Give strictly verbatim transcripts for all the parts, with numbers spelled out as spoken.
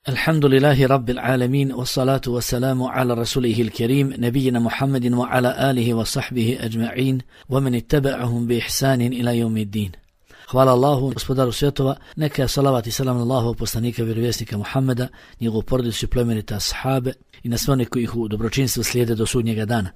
Alhamdulillahi rabbil alamin, wassalatu wassalamu ala rasulihil kerim, nebijina Muhammedin wa ala alihi wa sahbihi ajma'in, wa man ittaba'ahum bi ihsanin ila yawmiddin. Hvala Allahu, gospodaru svjetova, neka je salavat i salam na Allahov poslanika, vjerovjesnika Muhammeda, njegovu porodicu i plemenite ashabe i na sve one koji ih u dobročinstvu slijede do sudnjega dana.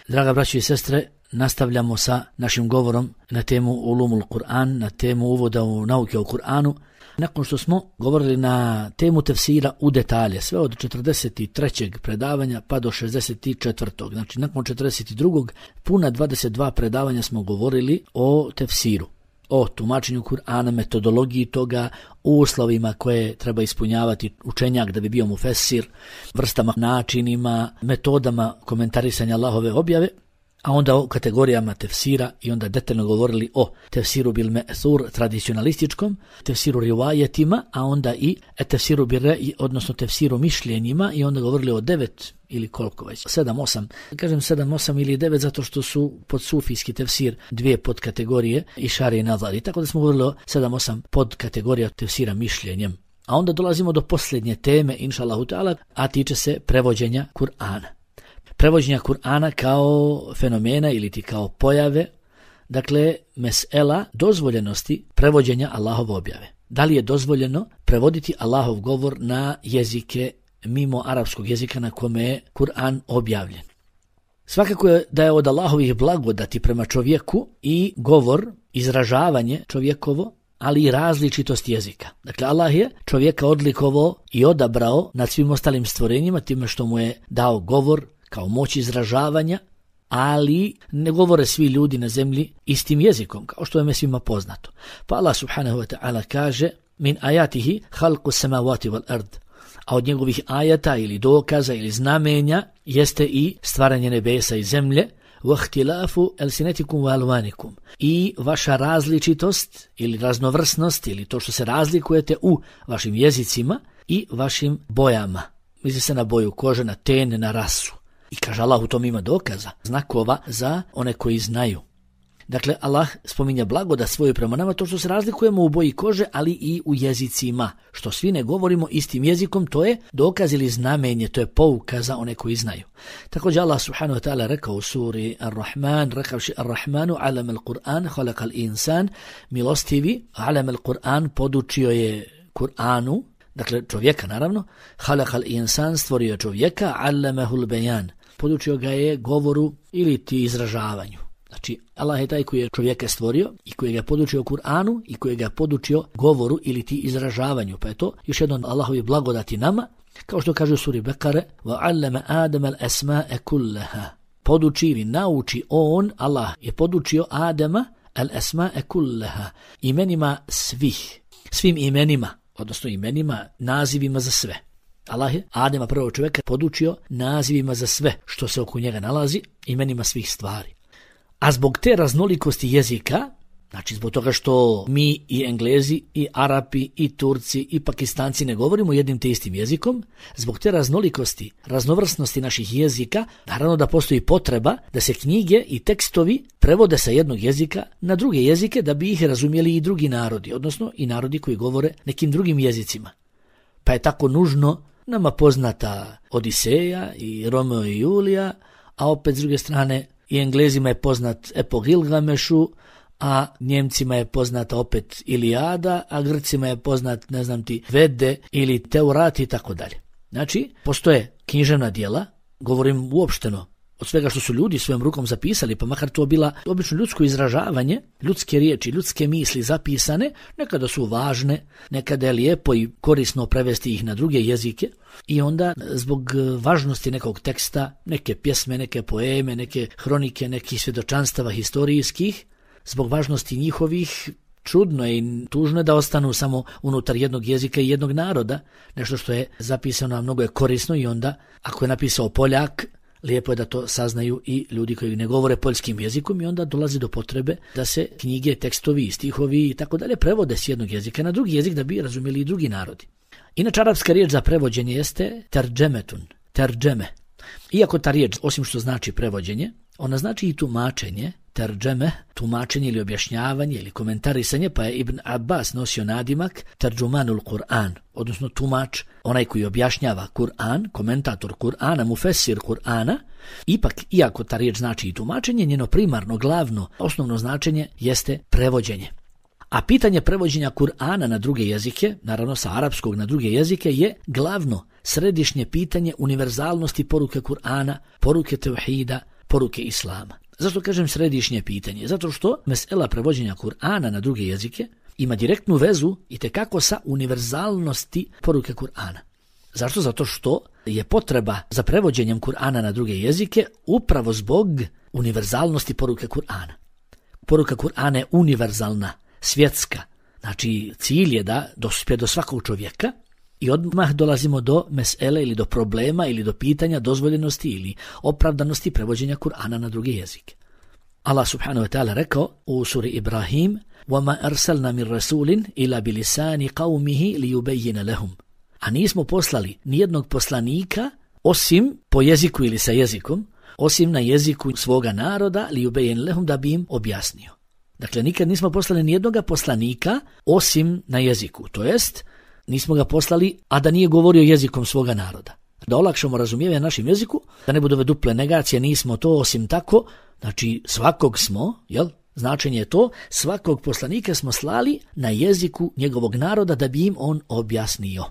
Draga braćo i sestre, nastavljamo sa našim govorom na temu Ulumul Kur'an, na temu uvoda u nauke o Kur'anu. Nakon što smo govorili na temu tefsira u detalje, sve od četrdeset trećeg predavanja pa do šezdeset četvrtog Znači, nakon četrdeset drugog puna dvadeset dva predavanja smo govorili o tefsiru, o tumačenju Kur'ana, metodologiji toga, uslovima koje treba ispunjavati učenjak da bi bio mufesir, vrstama, načinima, metodama komentarisanja Allahove objave, a onda o kategorijama tefsira i onda detaljno govorili o tefsiru bil me'thur tradicionalističkom, tefsiru rivajetima, a onda i tefsiru bil re'i, odnosno tefsiru mišljenjima, i onda govorili o devet ili koliko već, sedam, osam, kažem sedam, osam ili devet zato što su pod sufijski tefsir dvije podkategorije i šari i nazari, tako da smo govorili o sedam, osam podkategorija tefsira mišljenjem. A onda dolazimo do posljednje teme, inša Allahu ta'ala, a tiče se prevođenja Kur'ana. Prevođenja Kur'ana kao fenomena ili ti kao pojave, dakle mesela dozvoljenosti prevođenja Allahove objave. Da li je dozvoljeno prevoditi Allahov govor na jezike mimo arapskog jezika na kome je Kur'an objavljen? Svakako je da je od Allahovih blagodati prema čovjeku i govor, izražavanje čovjekovo, ali i različitost jezika. Dakle, Allah je čovjeka odlikovao i odabrao nad svim ostalim stvorenjima time što mu je dao govor kao moć izražavanja, ali ne govore svi ljudi na zemlji istim jezikom, kao što je svima poznato. Pa Allah subhanahu wa ta'ala kaže: min ajatihi halqu samawati wal ard. A od njegovih ajata ili dokaza ili znamenja jeste i stvaranje nebesa i zemlje, وَاخْتِلَافُ أَلْسِنَتِكُمْ وَأَلْوَانِكُمْ. I vaša različitost ili raznovrsnost ili to što se razlikujete u vašim jezicima i vašim bojama. Misli se na boju kože, na ten, na rasu. I kaže Allah, u tom ima dokaza, znakova za one koji znaju. Dakle, Allah spominja blagodat svoju prema nama, to što se razlikujemo u boji kože, ali i u jezicima. Što svi ne govorimo istim jezikom, to je dokaz ili znamenje, to je pouka za one koji znaju. Također Allah subhanahu wa ta'ala rekao u suri Ar-Rahman, rekavši Ar-Rahmanu alam al-Qur'an, halakal insan, milostivi, alam al-Qur'an, podučio je Kur'anu, dakle čovjeka naravno, halakal insan, stvorio čovjeka, allamahul bejan, podučio ga je govoru ili ti izražavanju. Znači, Allah je taj koji je čovjeka stvorio i koji ga je podučio Kur'anu i koji ga je podučio govoru ili ti izražavanju. Pa je to još jedno Allahovi blagodati nama, kao što kaže u suri Bekare: وَعَلَّمَ آدَمَ الْأَسْمَاءَ كُلَّهَا. Poduči ili nauči on, Allah je podučio Adama al-asma'a kullaha, imenima svih, svim imenima, odnosno imenima, nazivima za sve. Allah je Adama, prvog čovjeka, podučio nazivima za sve što se oko njega nalazi, imenima svih stvari. A zbog te raznolikosti jezika, znači zbog toga što mi i Englezi i Arapi i Turci i Pakistanci ne govorimo jednim te istim jezikom, zbog te raznolikosti, raznovrsnosti naših jezika, naravno da postoji potreba da se knjige i tekstovi prevode sa jednog jezika na druge jezike da bi ih razumjeli i drugi narodi, odnosno i narodi koji govore nekim drugim jezicima. Pa je tako nužno nama poznata Odiseja i Romeo i Julija, a opet s druge strane i Englezima je poznat Epo Gilgamešu, a Njemcima je poznata opet Ilijada, a Grcima je poznat, ne znam ti, Vede ili Teurat i tako dalje. Znači, postoje književna djela, govorim uopšteno, od svega što su ljudi svojom rukom zapisali, pa makar to bila obično ljudsko izražavanje, ljudske riječi, ljudske misli zapisane, nekada su važne, nekada je lijepo i korisno prevesti ih na druge jezike, i onda zbog važnosti nekog teksta, neke pjesme, neke poeme, neke hronike, nekih svjedočanstava historijskih, zbog važnosti njihovih, čudno je i tužno je da ostanu samo unutar jednog jezika i jednog naroda, nešto što je zapisano, a mnogo je korisno, i onda ako je napisao Poljak, lijepo je da to saznaju i ljudi koji ne govore poljskim jezikom, i onda dolazi do potrebe da se knjige, tekstovi, stihovi i tako dalje prevode s jednog jezika na drugi jezik da bi razumjeli i drugi narodi. Inače, arapska riječ za prevođenje jeste terđemetun, terđeme. Iako ta riječ, osim što znači prevođenje, Ona znači i tumačenje, terđeme, tumačenje ili objašnjavanje ili komentarisanje, pa je Ibn Abbas nosio nadimak terđumanul Kur'an, odnosno tumač, onaj koji objašnjava Kur'an, komentator Kur'ana, mufesir Kur'ana. Ipak, iako ta riječ znači i tumačenje, njeno primarno, glavno, osnovno značenje jeste prevođenje. A pitanje prevođenja Kur'ana na druge jezike, naravno sa arapskog na druge jezike, je glavno središnje pitanje univerzalnosti poruke Kur'ana, poruke tevhida, poruke Islama. Zašto kažem središnje pitanje? Zato što mesela prevođenja Kur'ana na druge jezike ima direktnu vezu i tekako sa univerzalnosti poruke Kur'ana. Zašto? Zato što je potreba za prevođenjem Kur'ana na druge jezike upravo zbog univerzalnosti poruke Kur'ana. Poruka Kur'ana je univerzalna, svjetska. Znači cilj je da dospije do svakog čovjeka i odmah dolazimo do mesele ili do problema ili do pitanja dozvoljenosti ili opravdanosti prevođenja Kur'ana na druge jezike. Allah subhanahu wa ta'ala rekao u suri Ibrahim: وَمَا أَرْسَلْنَا مِنْ رَسُولٍ إِلَّا بِلِسَانِ قَوْمِهِ لِيُبَيِّنَ لَهُمْ. A nismo poslali nijednog poslanika osim po jeziku ili sa jezikom, osim na jeziku svoga naroda, لِيُبَيِّنَ لَهُمْ, da bi im objasnio. Dakle, nikad nismo poslali nijednog poslanika osim na jeziku, to jest nismo ga poslali, a da nije govorio jezikom svoga naroda. Da olakšamo razumijevanje našim jeziku, da ne budu ove duple negacije, nismo to osim tako, znači svakog smo, jel? Značenje je to, svakog poslanika smo slali na jeziku njegovog naroda da bi im on objasnio.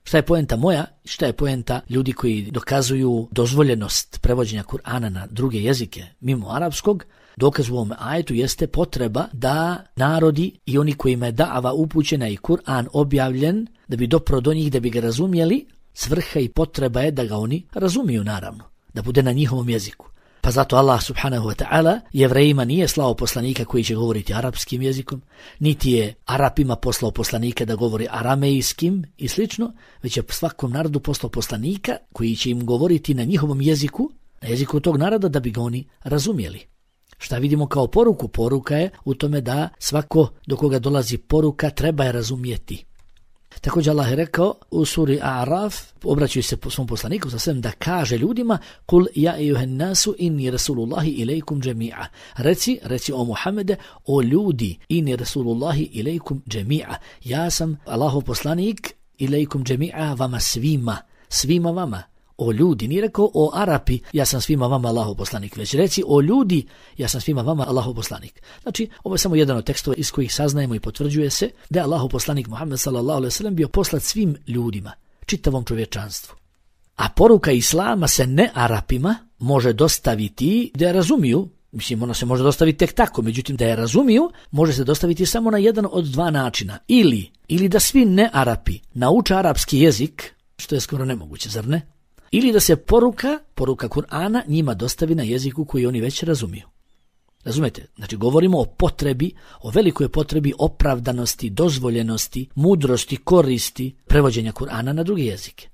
Šta je poenta moja? Šta je poenta ljudi koji dokazuju dozvoljenost prevođenja Kur'ana na druge jezike mimo arapskog? Dokaz u ovom ajetu jeste potreba da narodi i oni kojima je da'ava upućena i Kur'an objavljen, da bi dopro do njih, da bi ga razumjeli, svrha i potreba je da ga oni razumiju, naravno, da bude na njihovom jeziku. Pa zato Allah subhanahu wa ta'ala Jevrejima nije slao poslanika koji će govoriti arapskim jezikom, niti je Arapima poslao poslanika da govori aramejskim i slično, već je svakom narodu poslao poslanika koji će im govoriti na njihovom jeziku, na jeziku tog naroda, da bi ga oni razumjeli. Šta vidimo kao poruku? Poruka je u tome da svako do koga dolazi poruka treba je razumjeti. Također Allah je rekao u suri A'raf, obraćaju se svom poslaniku sa svem da kaže ljudima: Kul ja ejuhen nasu inni rasulullahi ilaikum džemi'a. Reci, reci o Muhammede, o ljudi, inni rasulullahi ilaikum džemi'a. Ja sam Allahov poslanik ilaikum džemi'a, vama svima, svima vama. O ljudi, nije rekao o Arapi, ja sam svima vama Allahov poslanik, već reci o ljudi, ja sam svima vama Allahov poslanik. Znači, ovo je samo jedan od tekstova iz kojih saznajemo i potvrđuje se da je Allahov poslanik Muhammed sallallahu alejhi ve sellem bio poslat svim ljudima, čitavom čovječanstvu. A poruka Islama se ne Arapima može dostaviti da je razumiju, mislim ona se može dostaviti tek tako, međutim da je razumiju može se dostaviti samo na jedan od dva načina. Ili, ili da svi ne Arapi nauče arapski jezik, što je skoro nemoguće, zar ne? Ili da se poruka, poruka Kur'ana njima dostavi na jeziku koji oni već razumiju. Razumete? Znači govorimo o potrebi, o velikoj potrebi opravdanosti, dozvoljenosti, mudrosti, koristi prevođenja Kur'ana na druge jezike.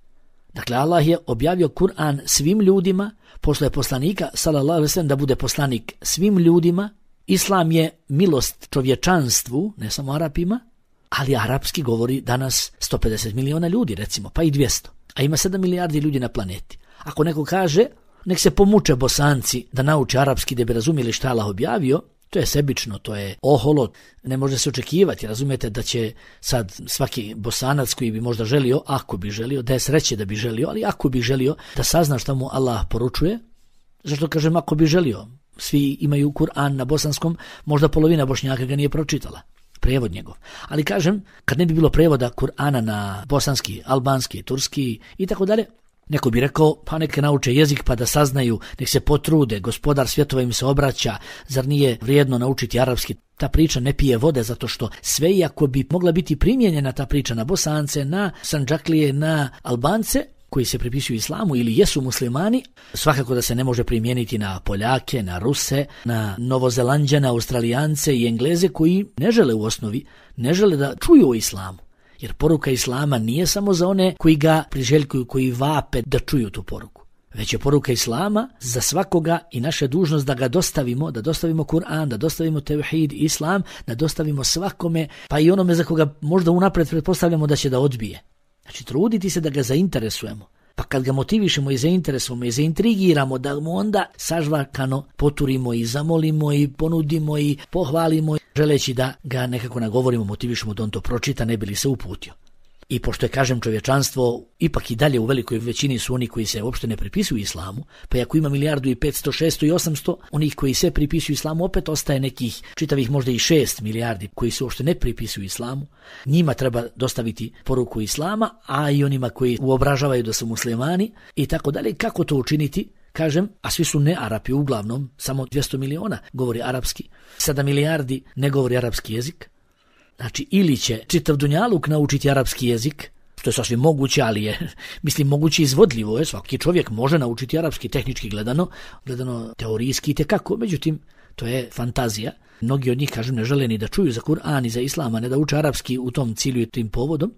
Dakle, Allah je objavio Kur'an svim ljudima, poslao je poslanika sallallahu alejhi ve sellem da bude poslanik svim ljudima. Islam je milost čovječanstvu, ne samo Arapima, ali arapski govori danas sto pedeset miliona ljudi, recimo, pa i dvjesto. A ima sedam milijardi ljudi na planeti. Ako neko kaže, nek se pomuče Bosanci da nauče arapski da bi razumjeli šta Allah objavio, to je sebično, to je oholo, ne može se očekivati. Razumijete da će sad svaki Bosanac koji bi možda želio, ako bi želio, da je sreće da bi želio, ali ako bi želio da sazna šta mu Allah poručuje, zašto kažem ako bi želio? Svi imaju Kur'an na bosanskom, možda polovina Bošnjaka ga nije pročitala. Prijevod njegov. Ali kažem, kad ne bi bilo prijevoda Kur'ana na bosanski, albanski, turski i tako dalje, neko bi rekao, pa neka nauče jezik pa da saznaju, nek se potrude, gospodar svjetova im se obraća, zar nije vrijedno naučiti arapski? Ta priča ne pije vode zato što sve iako bi mogla biti primijenjena ta priča na Bosance, na Sandžaklije, na Albance, koji se pripisuju islamu ili jesu muslimani, svakako da se ne može primijeniti na Poljake, na Ruse, na Novozelanđane, Australijance i Engleze koji ne žele u osnovi, ne žele da čuju o islamu. Jer poruka islama nije samo za one koji ga priželjkuju, koji vape da čuju tu poruku. Već je poruka islama za svakoga i naša dužnost da ga dostavimo, da dostavimo Kur'an, da dostavimo tevhid, islam, da dostavimo svakome, pa i onome za koga možda unapred pretpostavljamo da će da odbije. Znači, truditi se da ga zainteresujemo. Pa kad ga motivišemo i zainteresujemo i zaintrigiramo, da mu onda sažvakano poturimo i zamolimo i ponudimo i pohvalimo, želeći da ga nekako nagovorimo, motivišemo da on to pročita, ne bi li se uputio. I pošto je, kažem, čovječanstvo ipak i dalje u velikoj većini su oni koji se uopšte ne pripisuju islamu, pa ako ima milijardu i petsto, šesto i osamsto, onih koji se pripisuju islamu, opet ostaje nekih čitavih možda i šest milijardi koji se uopšte ne pripisuju islamu. Njima treba dostaviti poruku islama, a i onima koji uobražavaju da su muslimani i tako dalje. Kako to učiniti? Kažem, a svi su ne Arapi uglavnom, samo dvjesto miliona govori arapski, sedam milijardi ne govori arapski jezik. Znači, ili će čitav dunjaluk naučiti arapski jezik, što je sasvim moguće, ali je, mislim, moguće izvodljivo je, svaki čovjek može naučiti arapski tehnički gledano, gledano teorijski i tekako, međutim, to je fantazija. Mnogi od njih, kažem, ne žele ni da čuju za Kur'an i za Islama, ne da uče arapski u tom cilju i tim povodom.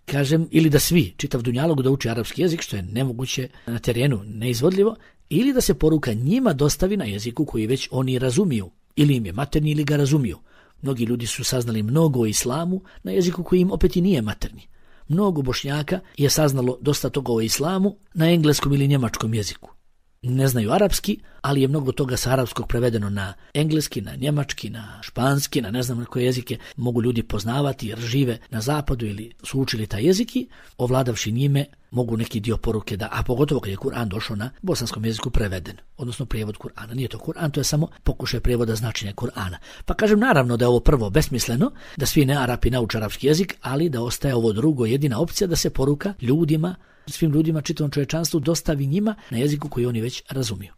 Kažem, ili da svi, čitav dunjaluk da uči arapski jezik, što je nemoguće na terenu, neizvodljivo, ili da se poruka njima dostavi na jeziku koji već oni razumiju, ili im je materni ili ga razumiju. Mnogi ljudi su saznali mnogo o islamu na jeziku koji im opet i nije materni. Mnogo Bošnjaka je saznalo dosta toga o islamu na engleskom ili njemačkom jeziku. Ne znaju arapski, ali je mnogo toga sa arapskog prevedeno na engleski, na njemački, na španski, na ne znam na koje jezike mogu ljudi poznavati jer žive na zapadu ili su učili taj jezik i ovladavši njime mogu neki dio poruke da, a pogotovo kad je Kur'an došao na bosanskom jeziku preveden, odnosno prijevod Kur'ana. Nije to Kur'an, to je samo pokušaj prijevoda značenja Kur'ana. Pa kažem naravno da je ovo prvo besmisleno, da svi ne Arapi nauče arapski jezik, ali da ostaje ovo drugo jedina opcija da se poruka ljudima, svim ljudima, čitavom čovječanstvu dostavi njima na jeziku koji oni već razumiju.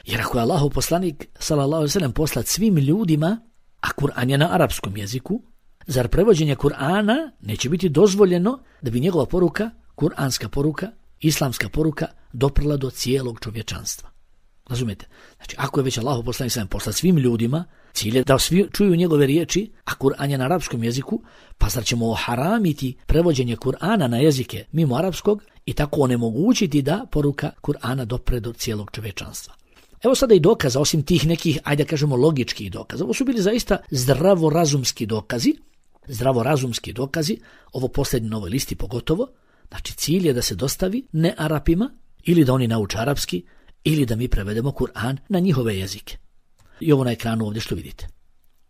Jer ako je Allahov poslanik sallallahu alejhi ve sellem poslat svim ljudima, a Kur'an je na arapskom jeziku, zar prevođenje Kur'ana neće biti dozvoljeno da bi njegova poruka, kuranska poruka, islamska poruka doprla do cijelog čovječanstva? Razumijete? Znači, ako je već Allahov poslanik sallallahu alejhi ve sellem poslat svim ljudima, cilj je da svi čuju njegove riječi, a Kur'an je na arapskom jeziku, pa zar ćemo oharamiti prevođenje Kur'ana na jezike mimo arapskog i tako onemogućiti da poruka Kur'ana dopre do cijelog čovječanstva? Evo sada i dokaza, osim tih nekih, ajde kažemo, logičkih dokaza. Ovo su bili zaista zdravorazumski dokazi, zdravorazumski dokazi, ovo posljednje na ovoj listi pogotovo. Znači, cilj je da se dostavi ne Arapima, ili da oni nauče arapski, ili da mi prevedemo Kur'an na njihove jezike. I ovo na ekranu ovdje što vidite.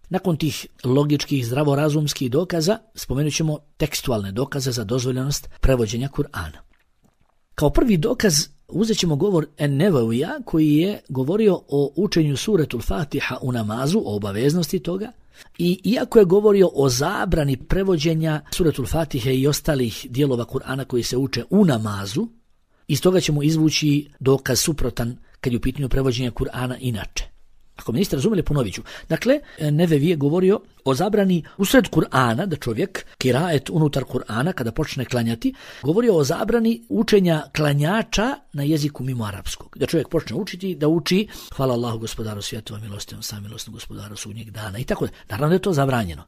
Nakon tih logičkih zdravorazumskih dokaza spomenut ćemo tekstualne dokaze za dozvoljenost prevođenja Kur'ana. Kao prvi dokaz uzet ćemo govor En-Nevevija koji je govorio o učenju suretul Fatiha u namazu, o obaveznosti toga. I iako je govorio o zabrani prevođenja suretul Fatihe i ostalih dijelova Kur'ana koji se uče u namazu, iz toga ćemo izvući dokaz suprotan kad je u pitanju prevođenja Kur'ana inače. Ako me niste razumjeli, ponovit ću. Dakle, Nevevi je govorio o zabrani usred Kur'ana, da čovjek, kiraet unutar Kur'ana, kada počne klanjati, govorio o zabrani učenja klanjača na jeziku mimo arapskog. Da čovjek počne učiti, da uči hvala Allahu gospodaru svjetova, milostivom samilosnom gospodaru sudnjeg dana i tako da. Naravno da je to zabranjeno.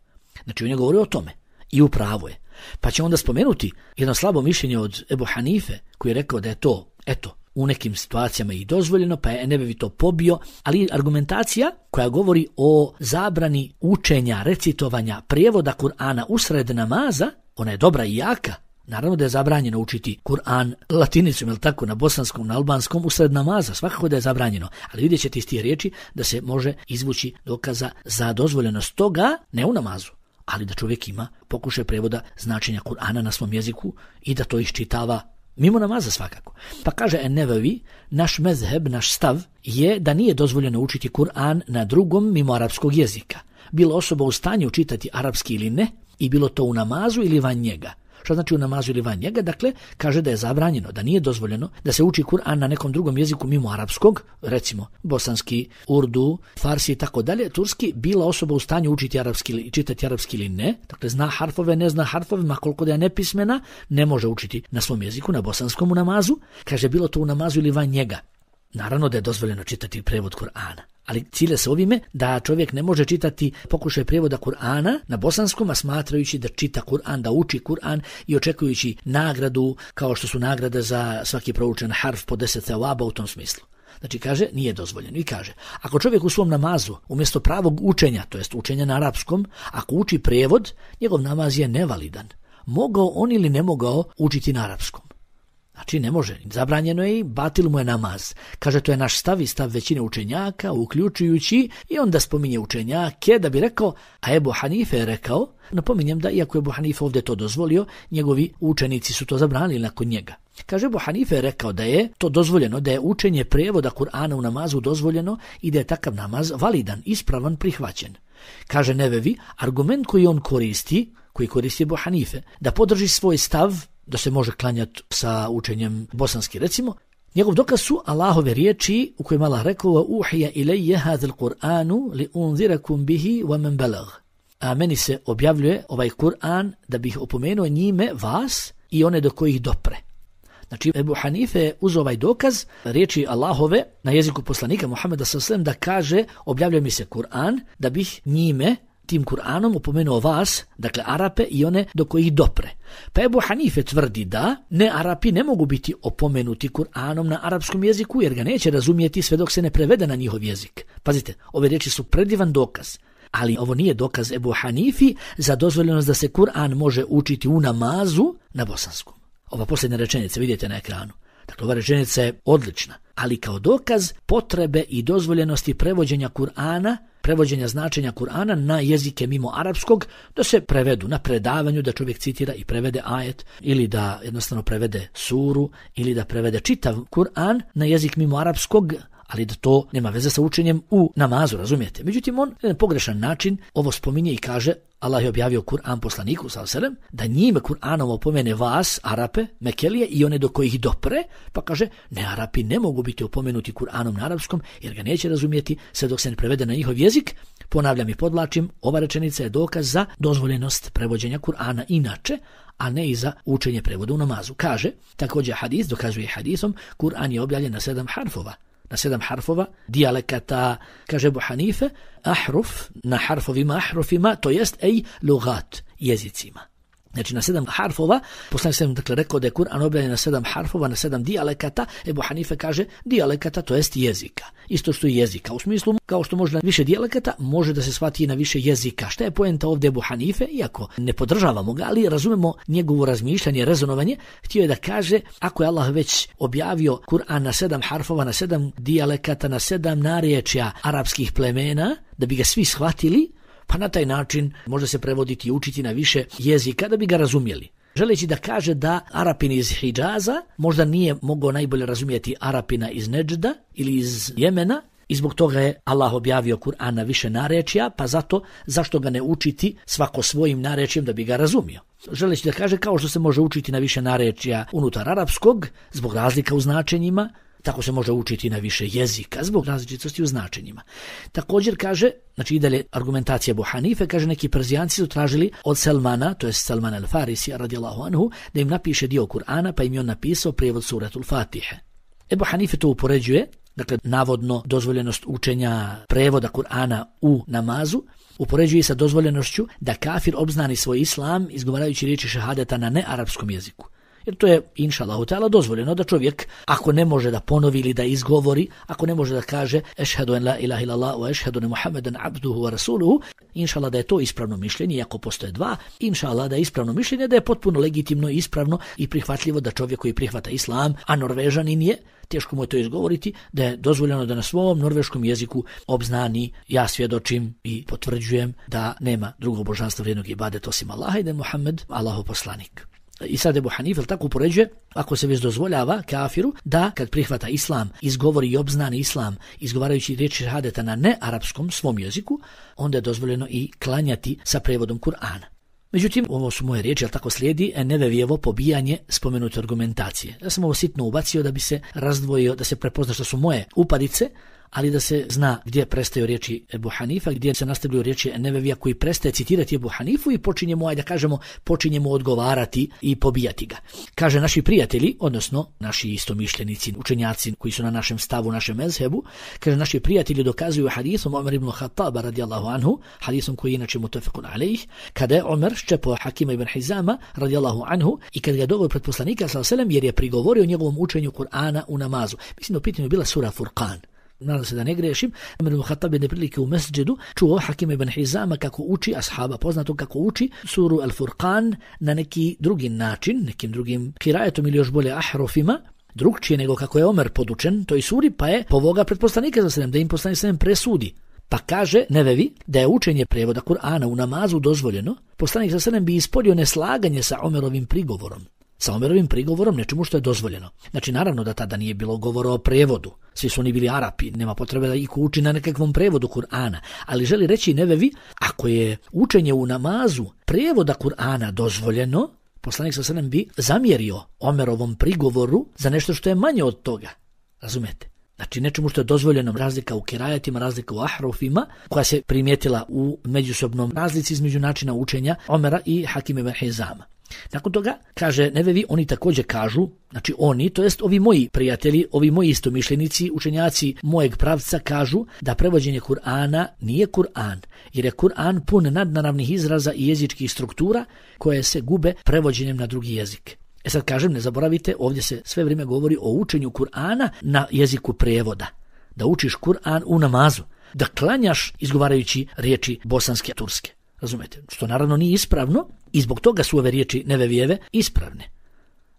Znači on je govorio o tome i upravo je. Pa će onda spomenuti jedno slabo mišljenje od Ebu Hanife koji je rekao da je to, eto, u nekim situacijama i dozvoljeno, pa je Nevevi to pobio, ali argumentacija koja govori o zabrani učenja, recitovanja, prijevoda Kur'ana usred namaza, ona je dobra i jaka. Naravno da je zabranjeno učiti Kur'an latinicom, ili tako, na bosanskom, na albanskom, usred namaza, svakako da je zabranjeno, ali vidjet ćete iz tih riječi da se može izvući dokaza za dozvoljenost toga, ne u namazu, ali da čovjek ima pokušaj prijevoda značenja Kur'ana na svom jeziku i da to iščitava mimo namaza svakako. Pa kaže En-Nevevi, naš mezheb, naš stav je da nije dozvoljeno učiti Kur'an na drugom mimo arapskog jezika. Bilo osoba u stanju čitati arapski ili ne, i bilo to u namazu ili van njega. Što znači u namazu ili van njega? Dakle, kaže da je zabranjeno, da nije dozvoljeno da se uči Kur'an na nekom drugom jeziku mimo arapskog, recimo bosanski, urdu, farsi i tako dalje, turski, bila osoba u stanju učiti arapski ili čitati arapski ili ne, dakle zna harfove, ne zna harfove, ma koliko da je nepismena, ne može učiti na svom jeziku, na bosanskom u namazu, kaže bilo to u namazu ili van njega. Naravno da je dozvoljeno čitati prevod Kur'ana, ali cilje se ovime da čovjek ne može čitati pokušaj prijevoda Kur'ana na bosanskom, a smatrajući da čita Kur'an, da uči Kur'an i očekujući nagradu kao što su nagrade za svaki proučen harf po deset thawaba u tom smislu. Znači kaže nije dozvoljeno i kaže ako čovjek u svom namazu umjesto pravog učenja, to jest učenja na arapskom, ako uči prijevod, njegov namaz je nevalidan. Mogao on ili ne mogao učiti na arapskom. Znači ne može, zabranjeno je i batil mu je namaz. Kaže to je naš stav i stav većine učenjaka, uključujući i onda spominje učenjake da bi rekao, a Ebu Hanife je rekao, napominjem da iako je Ebu Hanife ovdje to dozvolio, njegovi učenici su to zabranili nakon njega. Kaže Ebu Hanife je rekao da je to dozvoljeno, da je učenje prijevoda Kur'ana u namazu dozvoljeno i da je takav namaz validan, ispravan, prihvaćen. Kaže Nevevi, argument koji on koristi, koji koristi Ebu Hanife, da podrži svoj stav, da se može klanjati sa učenjem bosanski recimo, njegov dokaz su Allahove riječi u kojima Allah rekao uhija ilajje hadhal Kur'anu li unzirakum bihi wa man balag. A meni se objavljuje ovaj Kur'an da bih opomenuo njime vas i one do kojih dopre. Znači Ebu Hanife je uz ovaj dokaz riječi Allahove na jeziku poslanika Muhameda sallallahu alejhi ve sellem da kaže objavljuje mi se Kur'an da bih njime tim Kur'anom opomenuo vas, dakle Arape i one do kojih dopre. Pa Ebu Hanife tvrdi da ne Arapi ne mogu biti opomenuti Kur'anom na arapskom jeziku jer ga neće razumijeti sve dok se ne prevede na njihov jezik. Pazite, ove riječi su predivan dokaz. Ali ovo nije dokaz Ebu Hanifi za dozvoljenost da se Kur'an može učiti u namazu na bosanskom. Ova posljednja rečenica vidite na ekranu. Dakle, ova rečenica je odlična, ali kao dokaz potrebe i dozvoljenosti prevođenja Kur'ana, prevođenja značenja Kur'ana na jezike mimo arapskog, da se prevedu na predavanju, da čovjek citira i prevede ajet, ili da jednostavno prevede suru, ili da prevede čitav Kur'an na jezik mimo arapskog, ali da to nema veze sa učenjem u namazu, razumijete. Međutim, on na pogrešan način ovo spominje i kaže, Allah je objavio Kur'an poslaniku sallallahu alejhi ve sellem da njime Kur'anom opomene vas, Arape, Mekelije i one do kojih dopre, pa kaže, ne Arapi ne mogu biti opomenuti Kur'anom na arapskom jer ga neće razumijeti sve dok se ne prevede na njihov jezik. Ponavljam i podlačim, ova rečenica je dokaz za dozvoljenost prevođenja Kur'ana inače, a ne i za učenje prevoda u namazu. Kaže, također hadis, dokazuje hadisom, Kur'an je objavljen na sedam harfova. Na sedam harfova, dijalekata, kaže Ebu Hanife, ahruf, na harfovima, ahrufima, to jest ej lugat, jezicima. Znači na sedam harfova, poslanik sam dakle rekao da je Kur'an objavljen na sedam harfova, na sedam dijalekata, Ebu Hanife kaže dijalekata, to jest jezika. Isto što i jezika. U smislu, kao što može na više dijalekata, može da se shvati i na više jezika. Šta je poenta ovdje Ebu Hanife? Iako ne podržavamo ga, ali razumemo njegovo razmišljanje, rezonovanje, htio je da kaže, ako je Allah već objavio Kur'an na sedam harfova, na sedam dijalekata, na sedam narječja arapskih plemena, da bi ga svi shvatili, pa na taj način može se prevoditi i učiti na više jezika da bi ga razumjeli. Želeći da kaže da Arapin iz Hidžaza možda nije mogao najbolje razumjeti Arapina iz Neđda ili iz Jemena i zbog toga je Allah objavio Kur'an na više narečja, pa zato zašto ga ne učiti svako svojim narečjem da bi ga razumio. Želeći da kaže kao što se može učiti na više narečja unutar arapskog zbog razlika u značenjima, tako se može učiti na više jezika zbog različitosti u značenjima. Također kaže, znači i dalje argumentacija Ebu Hanife, kaže neki Perzijanci su tražili od Salmana, to je Salman al-Farisi radijallahu anhu, da im napiše dio Kur'ana, pa im je on napisao prijevod suratul Fatihe. Ebu Hanife to upoređuje, dakle navodno dozvoljenost učenja prevoda Kur'ana u namazu, upoređuje sa dozvoljenošću da kafir obznani svoj islam izgovarajući riječi šehadeta na nearapskom jeziku. Jer to je, inša Allahu ta'ala, dozvoljeno da čovjek, ako ne može da ponovi ili da izgovori, ako ne može da kaže ešhedu en la ilaha illallah wa ešhedu ne Muhammeden abduhu wa rasuluhu, inša Allah da je to ispravno mišljenje, iako postoje dva, inša Allah da je ispravno mišljenje, da je potpuno legitimno, ispravno i prihvatljivo da čovjek koji prihvata islam, a Norvežanin je, teško mu je to izgovoriti, da je dozvoljeno da na svom norveškom jeziku obznani, ja svjedočim i potvrđujem da nema drugog božanstva vrijednog ibadeta osim Allaha i da je Muhammed Allahov poslanik. I sad Ebu Hanife tako upoređuje, ako se već dozvoljava kafiru da kad prihvata islam, izgovori i obznani islam, izgovarajući riječi šehadeta na nearapskom svom jeziku, onda je dozvoljeno i klanjati sa prevodom Kur'ana. Međutim, ovo su moje riječi, ali tako slijedi Nevevijevo pobijanje spomenute argumentacije. Ja sam ovo sitno ubacio da bi se razdvojio, da se prepozna što su moje upadice, ali da se zna gdje prestaju riječi Ebu Hanifa, gdje se nastavljaju riječi Nevevija koji prestaje citirati Ebu Hanifu i počinjemo, ajde da kažemo, počinjemo odgovarati i pobijati ga. Kaže naši prijatelji, odnosno naši istomišljenici, učenjaci koji su na našem stavu, našem mezhebu, kaže naši prijatelji dokazuju hadisom Omer ibn Khattaba radijallahu anhu, hadisom koji je inače mutafekun alejh, kada je Omer ščepao Hakima ibn Hizama radijallahu anhu i kada ga doveo pred poslanika sallallahu alejhi ve sellem jer je prigovorio njegovom učenju Kur'ana u namazu. Mislim da u pitanju bila sura Furqan. nadam se da ne grešim, Omer ibn Khattab jedne prilike u mesdžedu čuo Hakima ibn Hizama kako uči ashaba, poznato kako uči suru Al-Furqan na neki drugi način, nekim drugim kirajetom ili još bolje ahrofima, drugčije nego kako je Omer podučen toj suri, pa je povoga pred poslanika za sallam da im poslanik sallam presudi. Pa kaže Nevevi da je učenje prevoda Kur'ana u namazu dozvoljeno, poslanik sallallahu alejhi ve sellem bi ispoljio neslaganje sa Omerovim prigovorom. Sa Omerovim prigovorom nečemu što je dozvoljeno. Znači naravno da tada nije bilo govora o prevodu. Svi su oni bili Arapi, nema potrebe da ih uči na nekakvom prevodu Kur'ana. Ali želi reći Nevevi, ako je učenje u namazu prevoda Kur'ana dozvoljeno, poslanik sallallahu alejhi ve sellem bi zamjerio Omerovom prigovoru za nešto što je manje od toga. Razumete? Znači nečemu što je dozvoljeno, razlika u kirajetima, razlika u ahrofima, koja se primijetila u međusobnom razlici između načina učenja Omera i Hakima ibn Hizama. Nakon toga, kaže Nevevi, oni također kažu, znači oni, to jest ovi moji prijatelji, ovi moji istomišljenici, učenjaci mojeg pravca kažu da prevođenje Kur'ana nije Kur'an, jer je Kur'an pun nadnaravnih izraza i jezičkih struktura koje se gube prevođenjem na drugi jezik. E sad kažem, ne zaboravite, ovdje se sve vrijeme govori o učenju Kur'ana na jeziku prevoda. Da učiš Kur'an u namazu, da klanjaš izgovarajući riječi bosanske, turske. Razumete? Što naravno nije ispravno i zbog toga su ove riječi Nevevijeve ispravne.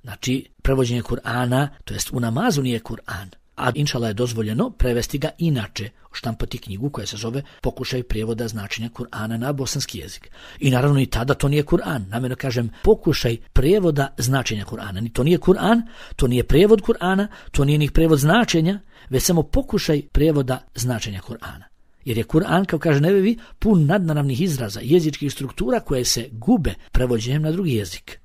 Znači, prevođenje Kur'ana, to jest u namazu nije Kur'an. A inšala je dozvoljeno prevesti ga inače, štampati knjigu koja se zove Pokušaj prijevoda značenja Kur'ana na bosanski jezik. I naravno i tada to nije Kur'an. Namjerno kažem pokušaj prijevoda značenja Kur'ana. Ni to nije Kur'an, to nije prijevod Kur'ana, to nije ni prijevod značenja, već samo pokušaj prijevoda značenja Kur'ana. Jer je Kur'an, kao kaže Nevevi, pun nadnaravnih izraza, jezičkih struktura koje se gube prevođenjem na drugi jezik.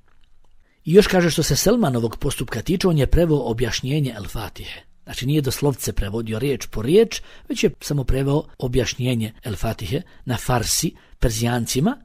I još kaže što se Selmanovog postupka tiče, on je preveo objašnjenje El-Fatihe. Znači nije doslovce prevodio riječ po riječ, već je samo preveo objašnjenje El-Fatihe na farsi, Perzijancima.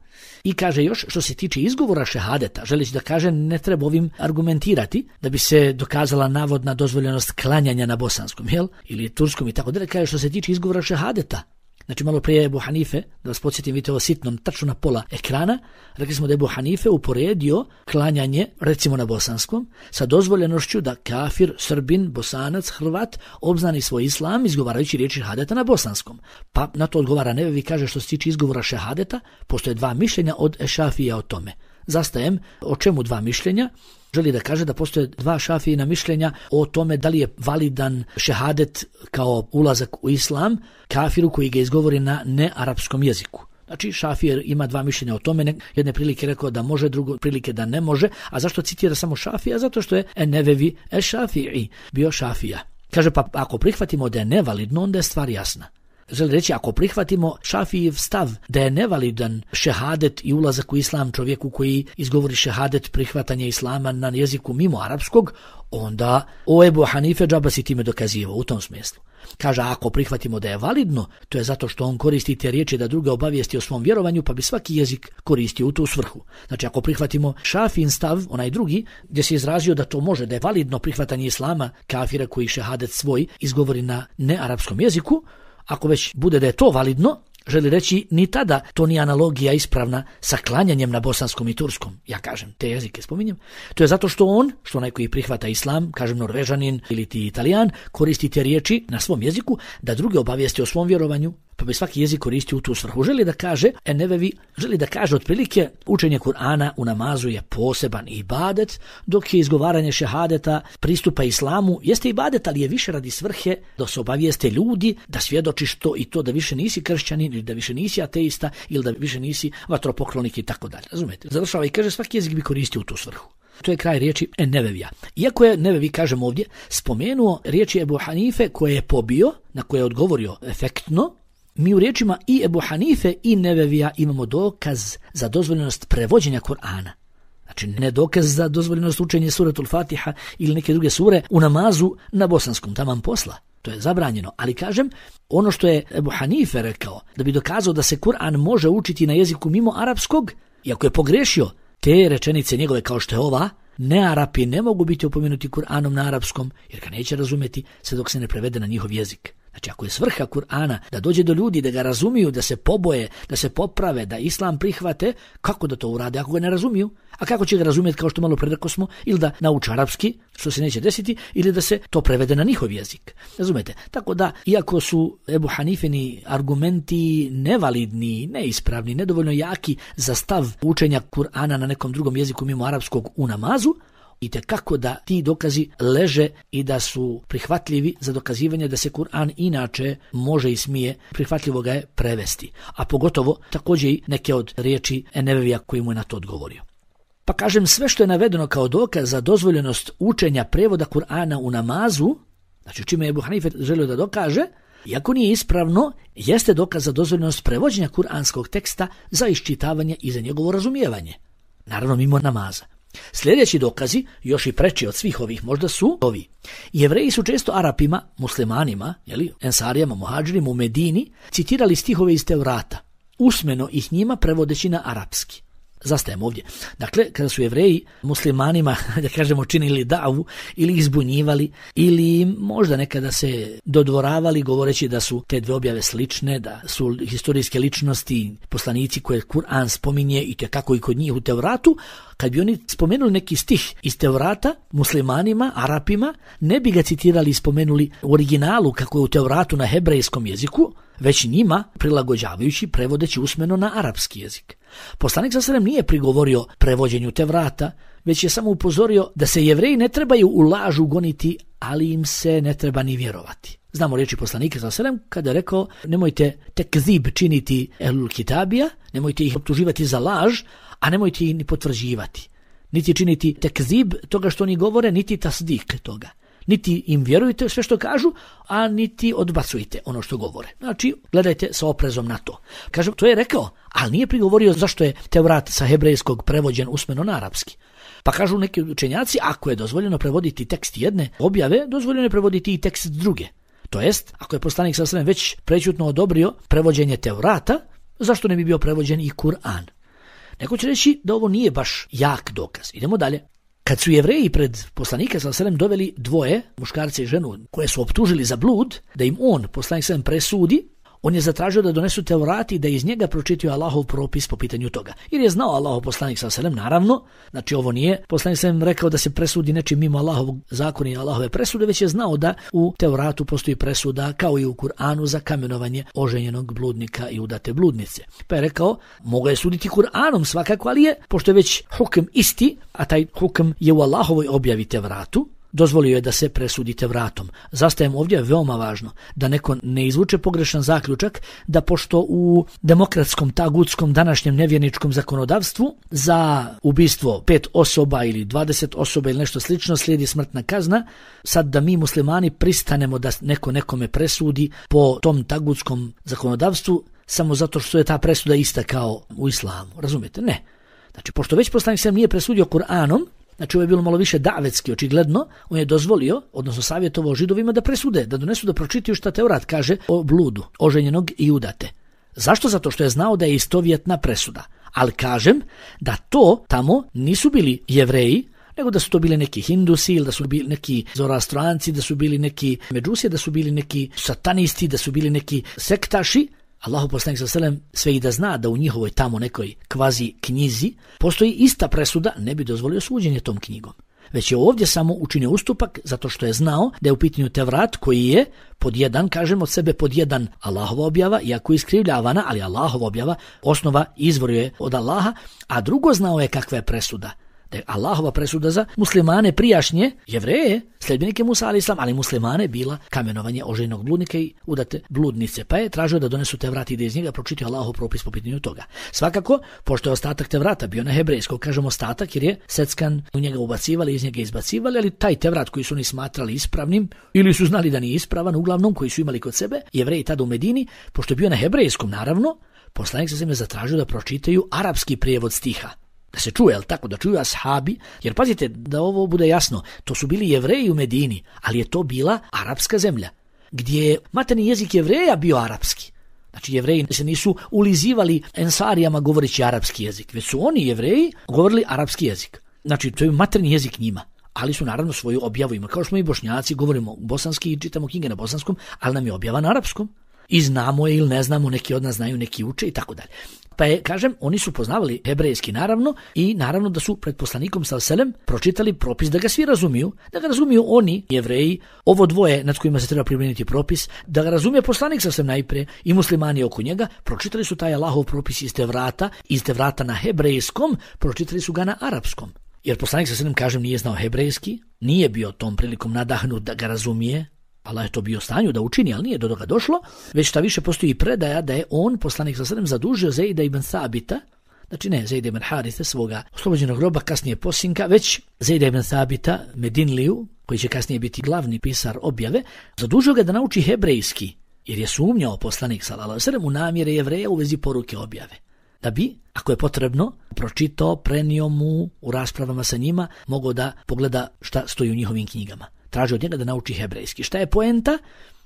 I kaže još što se tiče izgovora šehadeta, želeći da kaže ne treba ovim argumentirati da bi se dokazala navodna dozvoljenost klanjanja na bosanskom, jel? Ili turskom i tako dalje. Kaže što se tiče izgovora šehadeta. Znači malo prije Ebu Hanife, da vas podsjetim, vidite ovo sitnom, tačno na pola ekrana, rekli smo da Ebu Hanife uporedio klanjanje, recimo na bosanskom, sa dozvoljenošću da kafir, Srbin, Bosanac, Hrvat obznani svoj islam izgovarajući riječi šehadeta na bosanskom. Pa na to odgovara Nevevi, kaže što se tiče izgovora šehadeta, postoje dva mišljenja od Ešafija o tome. Zastajem, o čemu dva mišljenja? Želi da kaže da postoje dva šafijina mišljenja o tome da li je validan šehadet kao ulazak u islam kafiru koji ga izgovori na nearapskom jeziku. Znači Šafir ima dva mišljenja o tome, jedne prilike rekao da može, drugo prilike da ne može. A zašto citira samo Šafija? Zato što je Nevevi Ešafiji bio Šafija. Kaže pa ako prihvatimo da je nevalidno, onda je stvar jasna. Želi reći, ako prihvatimo Šafijev stav da je nevalidan šehadet i ulazak u islam čovjeku koji izgovori šehadet prihvatanja islama na jeziku mimo arapskog, onda o Ebu Hanife džaba si time dokazivao u tom smislu. Kaže, ako prihvatimo da je validno, to je zato što on koristi te riječi da druga obavijesti o svom vjerovanju, pa bi svaki jezik koristio u tu svrhu. Znači, ako prihvatimo Šafin stav, onaj drugi, gdje se izrazio da to može, da je validno prihvatanje islama kafira koji šehadet svoj izgovori na nearapskom jeziku, ako već bude da je to validno, želi reći ni tada to nije analogija ispravna sa klanjanjem na bosanskom i turskom. Ja kažem, te jezike spominjem. To je zato što on, što onaj koji prihvata islam, kažem Norvežanin ili ti Italijan, koristi te riječi na svom jeziku da druge obavijesti o svom vjerovanju, pa bi svaki jezik koristio u tu svrhu. Želi da kaže, Nevevi, želi da kaže otprilike učenje Kur'ana u namazu je poseban ibadet, dok je izgovaranje šehadeta pristupa islamu jeste ibadet, ali je više radi svrhe da se obavijeste ljudi, da svjedočiš to i to, da više nisi kršćanin ili da više nisi ateista ili da više nisi vatropoklonik i tako dalje. Razumete? Završava i kaže svaki jezik bi koristio u tu svrhu. To je kraj riječi Nevevija. Iako je Nevevi, kažem ovdje, spomenuo riječi Ebu Hanife koje je pobio, na koje je odgovorio efektno, mi u riječima i Ebu Hanife i Nevevija imamo dokaz za dozvoljenost prevođenja Kur'ana. Znači ne dokaz za dozvoljenost učenja suratul Fatiha ili neke druge sure u namazu na bosanskom, taman posla. To je zabranjeno, ali kažem, ono što je Ebu Hanife rekao, da bi dokazao da se Kur'an može učiti na jeziku mimo arapskog, iako je pogrešio te rečenice njegove kao što je ova, nearapi ne mogu biti opomenuti Kur'anom na arapskom, jer ga neće razumjeti sve dok se ne prevede na njihov jezik. Znači, ako je svrha Kur'ana da dođe do ljudi, da ga razumiju, da se poboje, da se poprave, da islam prihvate, kako da to urade ako ga ne razumiju? A kako će ga razumjeti, kao što malo predako smo, ili da nauče arapski, što se neće desiti, ili da se to prevede na njihov jezik. Razumete? Tako da, iako su Ebu Hanifini argumenti nevalidni, neispravni, nedovoljno jaki za stav učenja Kur'ana na nekom drugom jeziku mimo arapskog u namazu, i tekako da ti dokazi leže i da su prihvatljivi za dokazivanje da se Kur'an inače može i smije, prihvatljivo ga je prevesti. A pogotovo također i neke od riječi Enevevija koji mu je na to odgovorio. Pa kažem, sve što je navedeno kao dokaz za dozvoljenost učenja prevoda Kur'ana u namazu, znači čime je Ebu Hanife želio da dokaže, iako nije ispravno, jeste dokaz za dozvoljenost prevođenja kuranskog teksta za iščitavanje i za njegovo razumijevanje. Naravno mimo namaza. Sljedeći dokazi, još i preči od svih ovih, možda su ovi. Jevreji su često Arapima, muslimanima, jeli, ensarijama, muhadžirima u Medini, citirali stihove iz Tevrata, usmeno ih njima prevodeći na arapski. Zastajemo ovdje. Dakle, kada su Jevreji muslimanima, da kažemo, činili davu ili izbunjivali ili možda nekada se dodvoravali govoreći da su te dve objave slične, da su historijske ličnosti, poslanici koje Kur'an spominje i tekako i kod njih u Tevratu, kad bi oni spomenuli neki stih iz Tevrata muslimanima, Arapima, ne bi ga citirali i spomenuli u originalu kako je u Tevratu na hebrejskom jeziku, već njima prilagođavajući, prevodeći usmeno na arapski jezik. Poslanik sallallahu alejhi ve sellem nije prigovorio prevođenju Tevrata, već je samo upozorio da se Jevreji ne trebaju u lažu goniti, ali im se ne treba ni vjerovati. Znamo riječi poslanika sallallahu alejhi ve sellem kada je rekao: nemojte tekzib činiti ehlul kitabija, nemojte ih optuživati za laž, a nemojte ih ni potvrđivati. Niti činiti tekzib toga što oni govore, niti tasdik toga. Niti im vjerujte sve što kažu, a niti odbacujte ono što govore. Znači, gledajte sa oprezom na to. Kažem, to je rekao, ali nije prigovorio zašto je Tevrat sa hebrejskog prevođen usmeno na arapski. Pa kažu neki učenjaci, ako je dozvoljeno prevoditi tekst jedne objave, dozvoljeno je prevoditi i tekst druge. To jest, ako je poslanik sallallahu alejhi ve sellem već prečutno odobrio prevođenje Tevrata, zašto ne bi bio prevođen i Kur'an? Neko će reći da ovo nije baš jak dokaz. Idemo dalje. Kad su Jevreji pred poslanika sallallahu alejhi ve sellem doveli dvoje, muškarca i ženu, koje su optužili za blud, da im on, poslanik sallallahu alejhi ve sellem, presudi, on je zatražio da donesu Tevrat i da iz njega pročitaju Allahov propis po pitanju toga. Jer je znao Allahov poslanik sallallahu alejhi ve sellem, naravno, znači ovo nije poslanik sallallahu alejhi ve sellem rekao da se presudi nečim mimo Allahovog zakona i Allahove presude, već je znao da u Tevratu postoji presuda, kao i u Kur'anu, za kamenovanje oženjenog bludnika i udate bludnice. Pa je rekao, mogao je suditi Kur'anom svakako, ali je, pošto je već hukm isti, a taj hukm je u Allahovoj objavi Tevratu, dozvolio je da se presudi Tevratom. Zastajemo ovdje, veoma važno, da neko ne izvuče pogrešan zaključak, da pošto u demokratskom, tagutskom, današnjem nevjerničkom zakonodavstvu za ubistvo pet osoba ili dvadeset osoba ili nešto slično slijedi smrtna kazna, sad da mi muslimani pristanemo da neko nekome presudi po tom tagutskom zakonodavstvu samo zato što je ta presuda ista kao u islamu. Razumijete? Ne. Znači, pošto već poslanik sallallahu alejhi ve sellem nije presudio Kur'anom, znači ovo je bilo malo više davetski, očigledno, on je dozvolio, odnosno savjetovao Židovima da presude, da donesu da pročitaju šta Tevrat kaže o bludu, oženjenog i udate. Zašto? Zato što je znao da je istovjetna presuda. Ali kažem da to tamo nisu bili Jevreji, nego da su to bili neki Hindusi, ili da su bili neki Zoroastranci, da su bili neki Međusije, da su bili neki satanisti, da su bili neki sektaši. Allahu poslanik sallallahu alejhi ve sellem sve i da zna da u njihovoj tamo nekoj kvazi knjizi postoji ista presuda, ne bi dozvolio suđenje tom knjigom. Već je ovdje samo učinio ustupak zato što je znao da je u pitanju Tevrat koji je pod jedan, kažem od sebe pod jedan Allahova objava, iako je iskrivljavana, ali Allahova objava, osnova izvor je od Allaha, a drugo znao je kakva je presuda. Da je Allahova presuda za muslimane prijašnje, Jevreje, sljedbenike Musa alejhi selam, ali muslimane bila kamenovanje oženjenog bludnika i udate bludnice. Pa je tražio da donesu Tevrat i da iz njega pročitaju Allahov propis po pitanju toga. Svakako, pošto je ostatak Tevrata bio na hebrejskom, kažemo ostatak jer je seckan, u njega ubacivali, iz njega izbacivali, ali taj Tevrat koji su oni smatrali ispravnim ili su znali da nije ispravan, uglavnom koji su imali kod sebe, Jevreji tada u Medini, pošto je bio na hebrejskom, naravno, poslanik se je zatražio da pročitaju arapski prijevod stiha. Da se čuje, ali tako, da čuju ashabi, jer pazite, da ovo bude jasno, to su bili Jevreji u Medini, ali je to bila arapska zemlja, gdje je materni jezik Jevreja bio arapski. Znači, Jevreji se nisu ulizivali ensarijama govoreći arapski jezik, već su oni Jevreji govorili arapski jezik. Znači, to je materni jezik njima. ali su naravno svoju objavu imali. Kao što smo i Bošnjaci, govorimo bosanski i čitamo knjige na bosanskom, ali nam je objava na arapskom. I znamo je ili ne znamo, neki od nas znaju, neki uče i tako dalje. Pa je, kažem, oni su poznavali hebrejski naravno i naravno da su pred poslanikom sallallahu alejhi ve sellem pročitali propis da ga svi razumiju, da ga razumiju oni, Jevreji, ovo dvoje nad kojima se treba primijeniti propis, da ga razumije poslanik sallallahu alejhi ve sellem najprije i muslimani oko njega, pročitali su taj Allahov propis iz Tevrata, iz Tevrata na hebrejskom, pročitali su ga na arapskom. Jer poslanik sallallahu alejhi ve sellem, kažem, nije znao hebrejski, nije bio tom prilikom nadahnut da ga razumije. Allah je to bio u stanju da učini, ali nije do toga došlo, već šta više postoji predaja da je on, poslanik sallallahu alejhi ve sellem, zadužio Zejda ibn Thabita, znači ne Zejda ibn Harithe, svoga oslobođenog roba, kasnije posinka, već Zejda ibn Thabita, Medinliju, koji će kasnije biti glavni pisar objave, zadužio ga da nauči hebrejski, jer je sumnjao poslanik sallallahu alejhi ve sellem u namjere Jevreja u vezi poruke objave. Da bi, ako je potrebno, pročitao, prenio mu u raspravama sa njima, mogao da pogleda šta stoji u njihovim knjigama. Traži od njega da nauči hebrejski. Šta je poenta?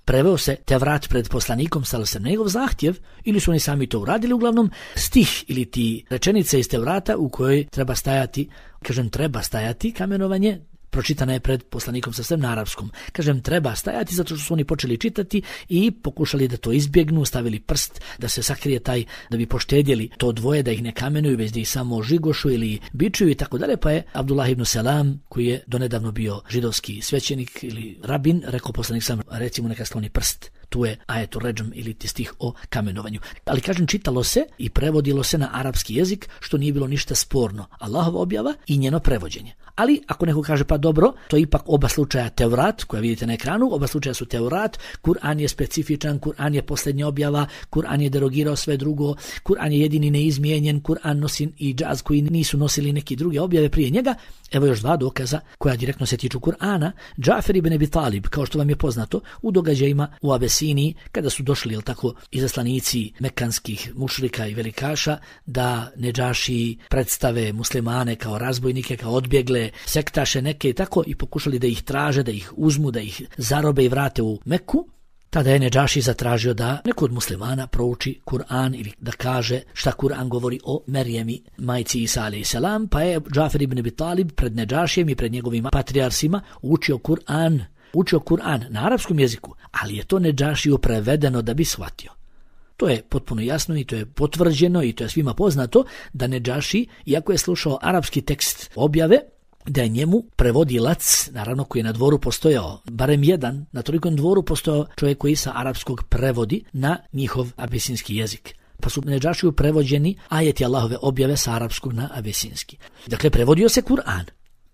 Preveo se Tevrat pred poslanikom sallallahu alejhi ve sellem, njegov zahtjev, ili su oni sami to uradili, uglavnom stih ili ti rečenice iz Tevrata u kojoj treba stajati, kažem treba stajati kamenovanje, pročitana je pred poslanikom sallallahu alejhi ve sellem na arapskom. Kažem treba stajati zato što su oni počeli čitati i pokušali da to izbjegnu, stavili prst da se sakrije taj, da bi poštedjeli to dvoje, da ih ne kamenuju, već da ih samo žigošu ili bičuju i tako dalje. Pa je Abdullah ibn Selam, koji je donedavno bio židovski svećenik ili rabin, rekao poslanik sam, recimo neka skloni prst. Tu je ajetu redžm ili ti stih o kamenovanju. Ali kažem, čitalo se i prevodilo se na arapski jezik, što nije bilo ništa sporno. Allahova objava i njeno prevođenje. Ali ako neko kaže pa dobro, to je ipak oba slučaja Tevrat, koja vidite na ekranu, oba slučaja su Tevrat, Kur'an je specifičan, Kur'an je posljednja objava, Kur'an je derogirao sve drugo, Kur'an je jedini neizmijenjen, Kur'an nosi i džaz koji nisu nosili neki druge objave prije njega. Evo još dva dokaza koja direktno se tiču Kur'ana. Džafer ibn Abi Talib, kao što vam je poznato, u događajima u Abesiniji, kada su došli, jel tako, izaslanici mekanskih mušrika i velikaša, da Nedžaši predstave muslimane kao razbojnike, kao odbjegle sektaše neke i tako, i pokušali da ih traže, da ih uzmu, da ih zarobe i vrate u Meku. Tada je Nedžaši zatražio da neko od muslimana prouči Kur'an ili da kaže šta Kur'an govori o Merijemi, majci Isa alejhi selam, pa je Džafer ibn Abi Talib pred Nedžašijem i pred njegovim patrijarsima učio Kur'an, učio Kur'an na arapskom jeziku, ali je to Nedžašiju prevedeno da bi shvatio. To je potpuno jasno i to je potvrđeno i to je svima poznato da Nedžaši, iako je slušao arapski tekst objave, da je njemu prevodilac, naravno koji je na dvoru postojao, barem jedan, na tolikom dvoru postojao čovjek koji sa arapskog prevodi na njihov abesinski jezik. Pa su Nedžašiju prevođeni ajeti Allahove objave sa arapskog na abesinski. Dakle, prevodio se Kur'an.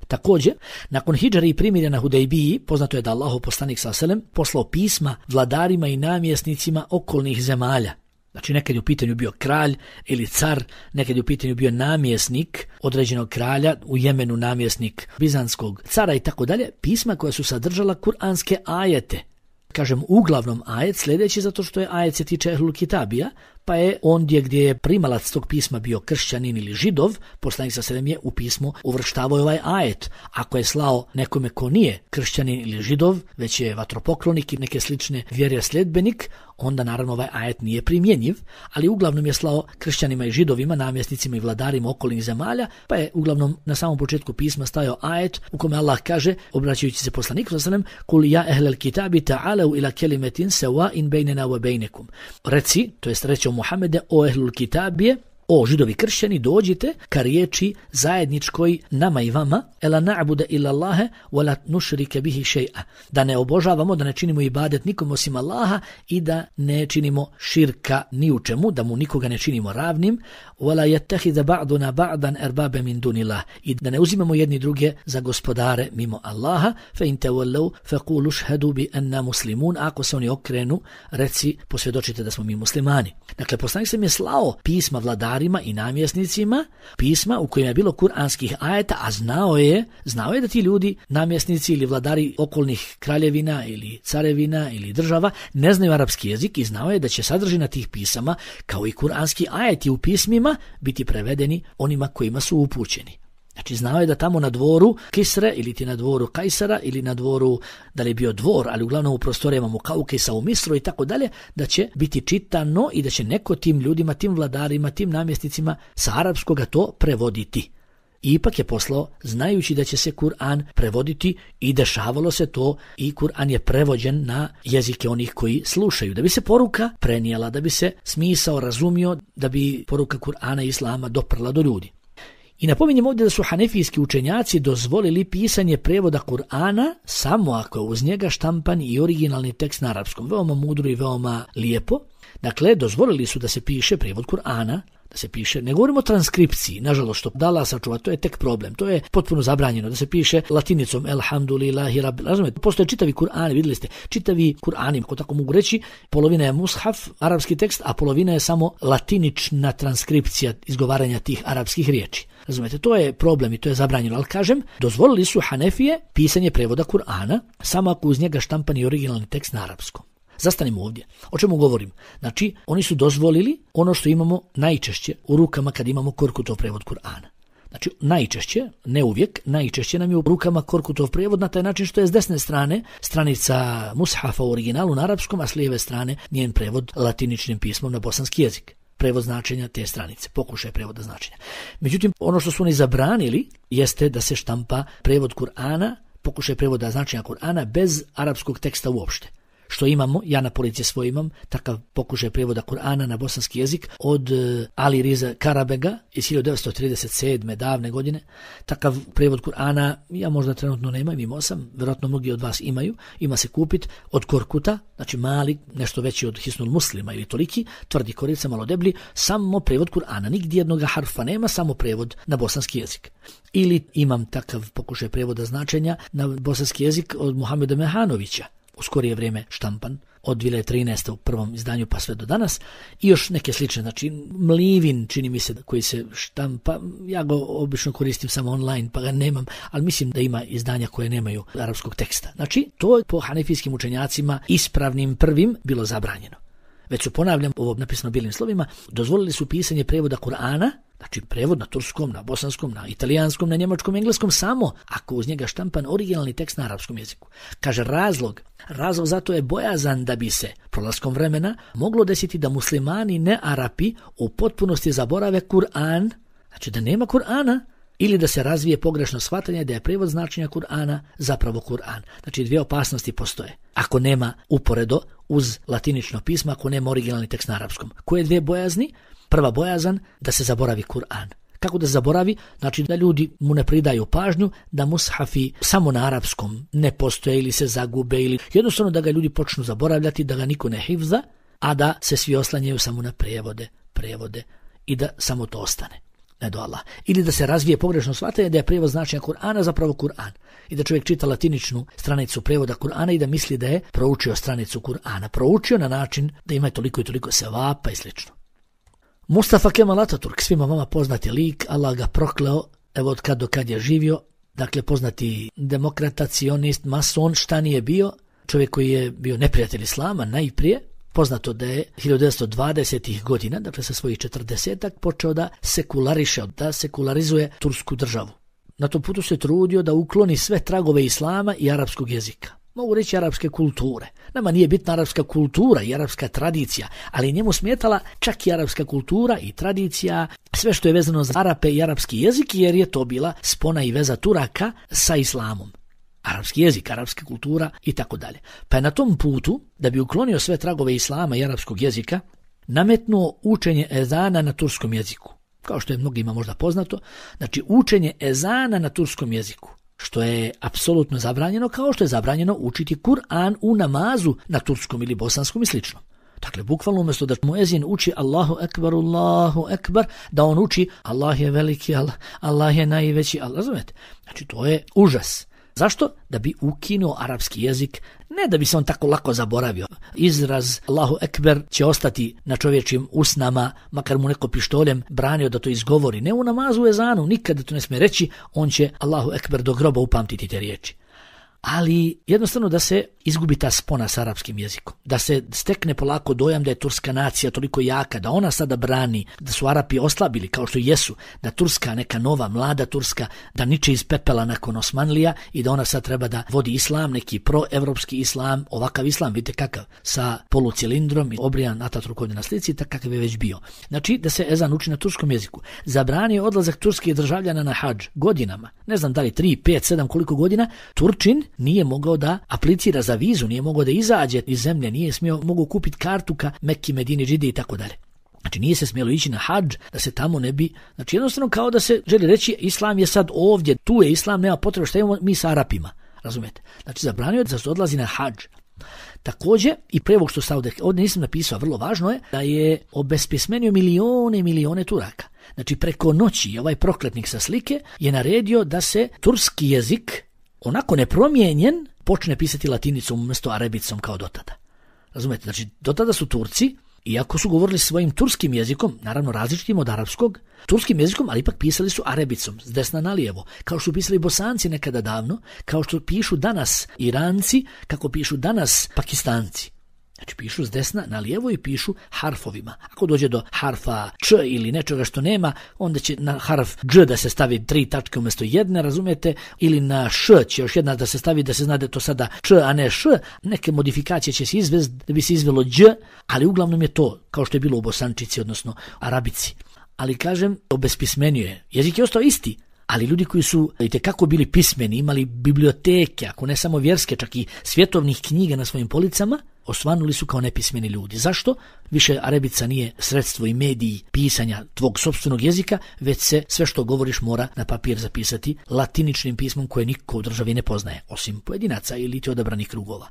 Također, nakon hidžare i primirja na Hudejbiji, poznato je da Allahov poslanik sallallahu alejhi ve sellem poslao pisma vladarima i namjesnicima okolnih zemalja. Znači, nekad je u pitanju bio kralj ili car, nekad je u pitanju bio namjesnik određenog kralja, u Jemenu namjesnik bizanskog cara i tako dalje, pisma koja su sadržala kuranske ajete. Kažem, uglavnom ajet sljedeći zato što je ajet se tiče Ehlul Kitabija, pa je ondje gdje je primalac tog pisma bio kršćanin ili židov, poslanik sallallahu alejhi ve sellem je u pismo uvrštavao ovaj ajet. Ako je slao nekome ko nije kršćanin ili židov, već je vatropoklonik i neke slične vjere sljedbenik, onda naravno ovaj ajet nije primjenjiv, ali uglavnom je slao kršćanima i židovima, namjesnicima i vladarima okolnih zemalja, pa je uglavnom na samom početku pisma stajao ajet u kome Allah kaže, obraćajući se poslaniku sallallahu alejhi ve sellem, kul ja ehlel kitabi ta'alu ila kelimetin sawa'in bejnena wa bejnekum. Reci, to jest reći o Muhammede, o ehlul kitabije, o židovi kršćani, dođite ka riječi zajedničkoj nama i vama, ela na'budu illa Allahe wa la nushrike bihi shay'a, da ne obožavamo, da ne činimo ibadet nikom osim Allaha i da ne činimo širka ni u čemu, da mu nikoga ne činimo ravnim, wa la yattakhidha ba'duna ba'dan erbabe min dunillah, i da ne uzimamo jedni druge za gospodare mimo Allaha, fa in tawallaw faqulu ashhadu bi anna muslimun, ako se oni okrenu, reci, posvjedočite da smo mi muslimani. Dakle, poslanik sam je slao pisma vladarima i namjesnicima, pisma u kojima je bilo kuranskih ajeta, a znao je, znao je da ti ljudi, namjesnici ili vladari okolnih kraljevina ili carevina ili država, ne znaju arapski jezik i znao je da će sadržina tih pisama, kao i kuranski ajeti u pismima, biti prevedeni onima kojima su upućeni. Znači, znao je da tamo na dvoru Kisre ili ti na dvoru Kajsara ili na dvoru, da li je bio dvor, ali uglavnom u prostorijama Mukaukisa u Misru i tako dalje, da će biti čitano i da će neko tim ljudima, tim vladarima, tim namjesnicima sa arapskoga to prevoditi. ipak je poslao znajući da će se Kur'an prevoditi i dešavalo se to i Kur'an je prevođen na jezike onih koji slušaju. Da bi se poruka prenijela, da bi se smisao razumio, da bi poruka Kur'ana i Islama doprla do ljudi. I napominjem ovdje da su hanefijski učenjaci dozvolili pisanje prevoda Kur'ana samo ako je uz njega štampan i originalni tekst na arapskom. Veoma mudro i veoma lijepo. Dakle, dozvolili su da se piše prevod Kur'ana, da se piše, ne govorimo o transkripciji, nažalost što da Allah sačuva, to je tek problem, to je potpuno zabranjeno, da se piše latinicom elhamdulillahi rabbil, razumijete, postoje čitavi Kur'ani, vidjeli ste, čitavi Kur'ani, ako tako mogu reći, polovina je mushaf, arapski tekst, a polovina je samo latinična transkripcija izgovaranja tih arapskih riječi. Razumijete, to je problem i to je zabranjeno, ali kažem, dozvolili su Hanefije pisanje prevoda Kur'ana, samo ako uz njega štampan i originalni tekst na arapskom. Zastanimo ovdje. O čemu govorim? Znači, oni su dozvolili ono što imamo najčešće u rukama kad imamo Korkutov prevod Kur'ana. Znači, najčešće, ne uvijek, najčešće nam je u rukama Korkutov prevod na taj način što je s desne strane stranica mushafa u originalu na arapskom, a s lijeve strane njen prevod latiničnim pismom na bosanski jezik. Prevod značenja te stranice, pokušaj prevoda značenja. Međutim, ono što su oni zabranili jeste da se štampa prevod Kur'ana, pokušaj prevoda značenja Kur'ana bez arapskog teksta uopšte. Što imamo, ja na policije svoj imam, takav pokušaj prevoda Kur'ana na bosanski jezik od Ali Riza Karabega iz hiljadu devetsto trideset sedme davne godine. Takav prevod Kur'ana ja možda trenutno nemam, imao sam, vjerojatno mnogi od vas imaju, ima se kupit od Korkuta, znači mali, nešto veći od Hisnul Muslima ili toliki, tvrdi korica, malo deblji, samo prevod Kur'ana, nigdje jednog harfa nema, samo prevod na bosanski jezik. Ili imam takav pokušaj prevoda značenja na bosanski jezik od Muhameda Mehanovića, u skorije vrijeme štampan, od dvije hiljade trinaeste u prvom izdanju pa sve do danas, i još neke slične, znači Mlivin, čini mi se, koji se štampa, ja ga obično koristim samo online, pa ga nemam, ali mislim da ima izdanja koje nemaju arapskog teksta. Znači, to je po hanefijskim učenjacima ispravnim prvim bilo zabranjeno. Već su, ponavljam, ovo napisano bijelim slovima, dozvolili su pisanje prevoda Kur'ana, znači prevod na turskom, na bosanskom, na italijanskom, na njemačkom, engleskom, samo ako uz njega štampan originalni tekst na arapskom jeziku. Kaže razlog, razlog zato je bojazan da bi se prolaskom vremena moglo desiti da muslimani ne Arapi u potpunosti zaborave Kur'an, znači da nema Kur'ana, ili da se razvije pogrešno shvatanje da je prevod značenja Kur'ana zapravo Kur'an. Znači dvije opasnosti postoje. Ako nema uporedo uz latinično pismo, ako nema originalni tekst na arapskom. Koje dvije bojazni? Prva bojazan da se zaboravi Kur'an. Kako da zaboravi? Znači da ljudi mu ne pridaju pažnju, da mushafi samo na arapskom ne postoje ili se zagube, ili jednostavno da ga ljudi počnu zaboravljati, da ga niko ne hifza, a da se svi oslanjaju samo na prevode, prevode i da samo to ostane. Ne do Allah. Ili da se razvije pogrešno shvatanje da je prevod značenja Kur'ana zapravo Kur'an. I da čovjek čita latiničnu stranicu prevoda Kur'ana i da misli da je proučio stranicu Kur'ana. Proučio na način da ima toliko i toliko sevapa i slično. Mustafa Kemal Ataturk, svima vama poznati lik, Allah ga prokleo, evo od kad do kad je živio, dakle poznati demokrata, cionist, mason, šta nije bio, čovjek koji je bio neprijatelj islama najprije, poznato da je hiljadu devetsto dvadesetih godina, dakle sa svojih četrdesetak, počeo da sekulariše, da sekularizuje tursku državu. Na tom putu se trudio da ukloni sve tragove islama i arapskog jezika. Mogu reći arapske kulture. Nama nije bitna arapska kultura i arapska tradicija, ali njemu smetala čak i arapska kultura i tradicija, sve što je vezano za Arape i arapski jezik, jer je to bila spona i veza Turaka sa islamom. Arapski jezik, arapska kultura i tako dalje. Pa je na tom putu, da bi uklonio sve tragove islama i arapskog jezika, nametnuo učenje ezana na turskom jeziku. Kao što je mnogima možda poznato, znači učenje ezana na turskom jeziku, što je apsolutno zabranjeno, kao što je zabranjeno učiti Kur'an u namazu na turskom ili bosanskom i slično. Dakle, bukvalno umjesto da muezin uči Allahu ekber, Allahu ekber, da on uči Allah je veliki, Allah, Allah je najveći, Allah, razumete? Znači, to je užas. Zašto? Da bi ukinuo arapski jezik, ne da bi se on tako lako zaboravio. Izraz Allahu ekber će ostati na čovječim usnama, makar mu neko pištoljem branio da to izgovori. Ne u namazu, u ezanu, nikada to ne smije reći, on će Allahu ekber do groba upamtiti te riječi. ali jednostavno da se izgubi ta spona s arapskim jezikom, da se stekne polako dojam da je turska nacija toliko jaka, da ona sada brani, da su Arapi oslabili kao što jesu, da Turska, neka nova, mlada Turska, da niče iz pepela nakon Osmanlija i da ona sad treba da vodi islam, neki proevropski islam, ovakav islam, vidite kakav, sa polucilindrom i obrijan Ataturk ovdje na slici, tak kakav je već bio. Znači da se ezan uči na turskom jeziku. Zabranio odlazak turskih državljana na hadž godinama, ne znam da li tri, pet, sedam koliko godina, Turčin nije mogao da aplicira za vizu, nije mogao da izađe iz zemlje, nije smio, mogao kupiti kartu ka Mekki, Medini, Džidi i tako dalje. Znači nije se smjelo ići na hadž da se tamo ne bi, znači jednostavno kao da se želi reći islam je sad ovdje, tu je islam, nema potrebe, šta imamo mi sa Arapima, razumijete? Znači zabranio da se odlazi na hadž. Također i pre ovog što sam ovdje, ovdje nisam napisao, vrlo važno je da je obespismenio milione i milione Turaka. Znači preko noći ovaj prokletnik sa slike je naredio da se turski jezik onako nepromijenjen počne pisati latinicom umjesto arabicom kao do tada. Razumete? Znači do tada su Turci, iako su govorili svojim turskim jezikom, naravno različitim od arapskog, turskim jezikom, ali ipak pisali su arabicom, s desna na lijevo, kao što su pisali Bosanci nekada davno, kao što pišu danas Iranci, kako pišu danas Pakistanci. Znači pišu s desna na lijevo i pišu harfovima. Ako dođe do harfa č ili nečega što nema, onda će na harf dž da se stavi tri tačke umjesto jedne, razumijete, ili na š će još jedna da se stavi da se zna da je to sada č, a ne š. Neke modifikacije će se izvesti da bi se izvelo dž, ali uglavnom je to kao što je bilo u Bosančici, odnosno Arabici. Ali kažem, obespismenio je. Jezik je ostao isti. Ali ljudi koji su itekako bili pismeni, imali biblioteke, ako ne samo vjerske, čak i svjetovnih knjiga na svojim policama, osvanuli su kao nepismeni ljudi. Zašto? Više arabica nije sredstvo i mediji pisanja tvog sopstvenog jezika, već se sve što govoriš mora na papir zapisati latiničnim pismom koje niko u državi ne poznaje, osim pojedinaca ili ti odabranih krugova.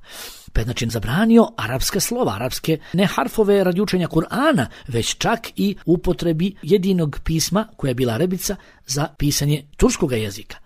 Pa je znači zabranio arapska slova, arapske ne harfove radi učenja Kur'ana, već čak i upotrebi jedinog pisma koja je bila arabica za pisanje turskoga jezika.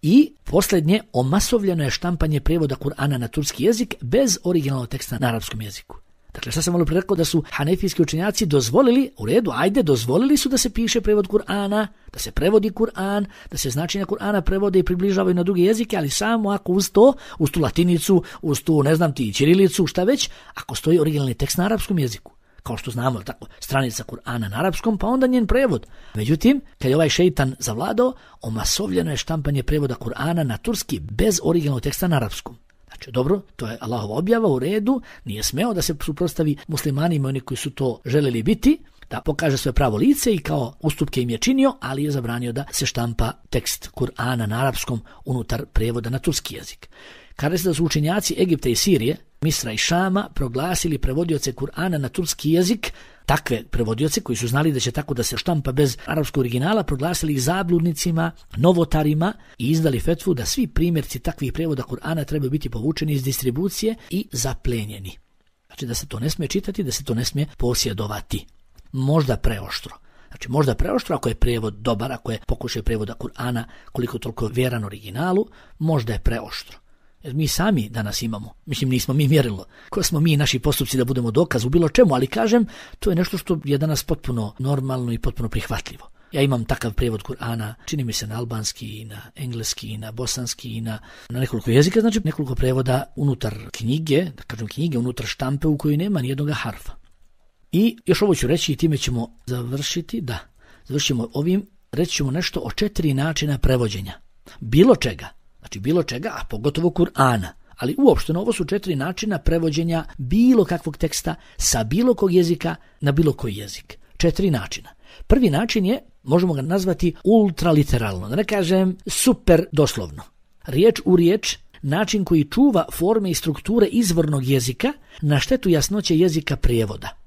I posljednje, omasovljeno je štampanje prijevoda Kur'ana na turski jezik bez originalnog teksta na arapskom jeziku. Dakle, šta sam malo pre rekao da su hanefijski učenjaci dozvolili, u redu, ajde, dozvolili su da se piše prevod Kur'ana, da se prevodi Kur'an, da se značenja Kur'ana prevode i približavaju na druge jezike, ali samo ako uz to, uz tu latinicu, uz tu, ne znam ti, ćirilicu, šta već, ako stoji originalni tekst na arapskom jeziku. Kao što znamo, tako, stranica Kur'ana na arapskom, pa onda njen prevod. Međutim, kad je ovaj šeitan zavladao, omasovljeno je štampanje prevoda Kur'ana na turski bez originalnog teksta na arapskom. Znači, dobro, to je Allahova objava, u redu, nije smeo da se suprotstavi muslimanima, oni koji su to želeli biti, da pokaže svoje pravo lice i kao ustupke im je činio, ali je zabranio da se štampa tekst Kur'ana na arapskom unutar prevoda na turski jezik. Kada se da su učenjaci Egipta i Sirije, Misra i Šama proglasili prevodioce Kur'ana na turski jezik, takve prevodioce koji su znali da će tako da se štampa bez arapskog originala, proglasili ih zabludnicima, novotarima i izdali fetvu da svi primjerci takvih prevoda Kur'ana trebaju biti povučeni iz distribucije i zaplenjeni. Znači da se to ne smije čitati, da se to ne smije posjedovati. Možda preoštro. Znači možda preoštro ako je prevod dobar, ako je pokušaj prevoda Kur'ana koliko toliko vjeran originalu, možda je preoštro. Jer mi sami danas imamo, mislim nismo mi mjerilo, ko smo mi i naši postupci da budemo dokaz u bilo čemu, ali kažem, to je nešto što je danas potpuno normalno i potpuno prihvatljivo. Ja imam takav prijevod Kur'ana, čini mi se na albanski, i na engleski, i na bosanski, i na, na nekoliko jezika, znači nekoliko prevoda unutar knjige, da kažem knjige, unutar štampe u kojoj nema nijednog harfa. I još ovo ću reći i time ćemo završiti, da, završimo ovim, reći ćemo nešto o četiri načina prevođenja. Bilo čega. Znači bilo čega, a pogotovo Kur'ana. Ali uopšteno ovo su četiri načina prevođenja bilo kakvog teksta sa bilo kog jezika na bilo koji jezik. Četiri načina. Prvi način je, možemo ga nazvati ultraliteralno, da ne kažem super doslovno. Riječ u riječ, način koji čuva forme i strukture izvornog jezika na štetu jasnoće jezika prijevoda.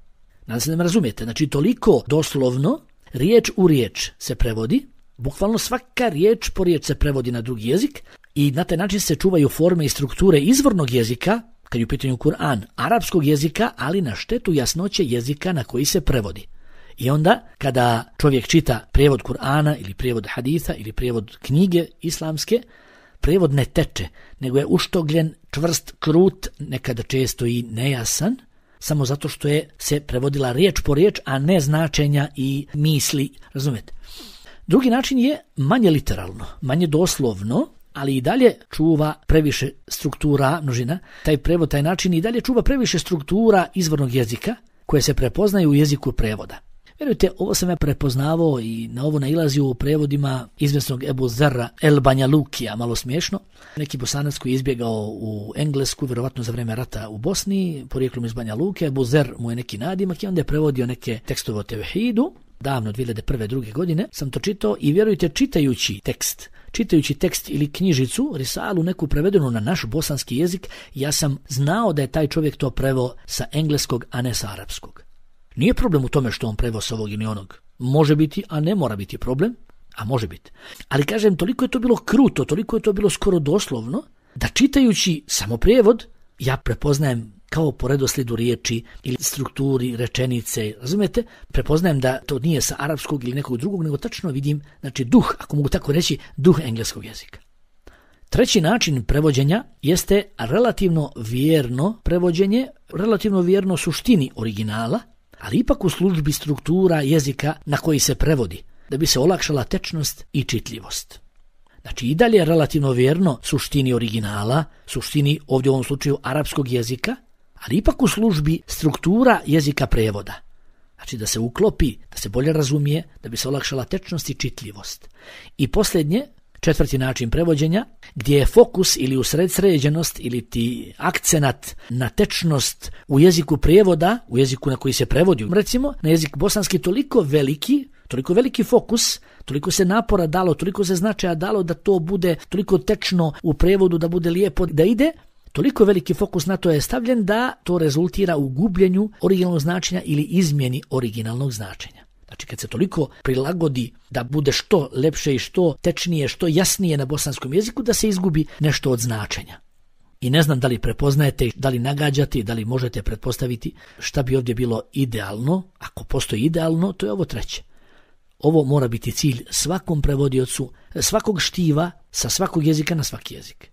Nadam se da me razumijete, znači toliko doslovno, riječ u riječ se prevodi, bukvalno svaka riječ po riječ se prevodi na drugi jezik i na taj način se čuvaju forme i strukture izvornog jezika, kad je u pitanju Kur'an, arapskog jezika, ali na štetu jasnoće jezika na koji se prevodi. I onda, kada čovjek čita prijevod Kur'ana ili prijevod haditha ili prijevod knjige islamske, prijevod ne teče, nego je uštogljen, čvrst, krut, nekada često i nejasan, samo zato što je se prevodila riječ po riječ, a ne značenja i misli, razumijete? Drugi način je manje literalno, manje doslovno, ali i dalje čuva previše struktura, množina, taj prevod, taj način i dalje čuva previše struktura izvornog jezika koje se prepoznaju u jeziku prevoda. Vjerujte, ovo sam ja prepoznavao i na ovo nailazio u prevodima izvjesnog Ebu Zerra El Banja Lukija, malo smiješno. Neki Bosanac koji je izbjegao u Englesku, vjerovatno za vrijeme rata u Bosni, porijeklom iz Banja Luke. Ebu Zer mu je neki nadimak i onda je prevodio neke tekstove o tevhidu. Davno, dvije hiljade prve. druge godine, sam to čitao i vjerujte, čitajući tekst, čitajući tekst ili knjižicu, risalu neku prevedenu na naš bosanski jezik, ja sam znao da je taj čovjek to preveo sa engleskog, a ne sa arapskog. Nije problem u tome što on preveo s ovog ili onog. Može biti, a ne mora biti problem, a može biti. Ali kažem, toliko je to bilo kruto, toliko je to bilo skoro doslovno, da čitajući samo prijevod, ja prepoznajem kao po redoslijedu riječi ili strukturi rečenice, razumijete? Prepoznajem da to nije sa arapskog ili nekog drugog, nego tačno vidim, znači duh, ako mogu tako reći, duh engleskog jezika. Treći način prevođenja jeste relativno vjerno prevođenje, relativno vjerno suštini originala, ali ipak u službi struktura jezika na koji se prevodi, da bi se olakšala tečnost i čitljivost. Znači i dalje relativno vjerno suštini originala, suštini ovdje u ovom slučaju arapskog jezika, ali ipak u službi struktura jezika prevoda. Znači da se uklopi, da se bolje razumije, da bi se olakšala tečnost i čitljivost. I posljednje, četvrti način prevođenja, gdje je fokus ili usredsređenost ili ti akcenat na tečnost u jeziku prijevoda, u jeziku na koji se prevodi, recimo na jezik bosanski toliko veliki, toliko veliki fokus, toliko se napora dalo, toliko se značaja dalo da to bude toliko tečno u prevodu, da bude lijepo da ide, toliko veliki fokus na to je stavljen da to rezultira u gubljenju originalnog značenja ili izmjeni originalnog značenja. Znači kad se toliko prilagodi da bude što lepše i što tečnije, što jasnije na bosanskom jeziku, da se izgubi nešto od značenja. I ne znam da li prepoznajete, da li nagađate, da li možete pretpostaviti šta bi ovdje bilo idealno. Ako postoji idealno, to je ovo treće. Ovo mora biti cilj svakom prevodiocu, svakog štiva, sa svakog jezika na svaki jezik.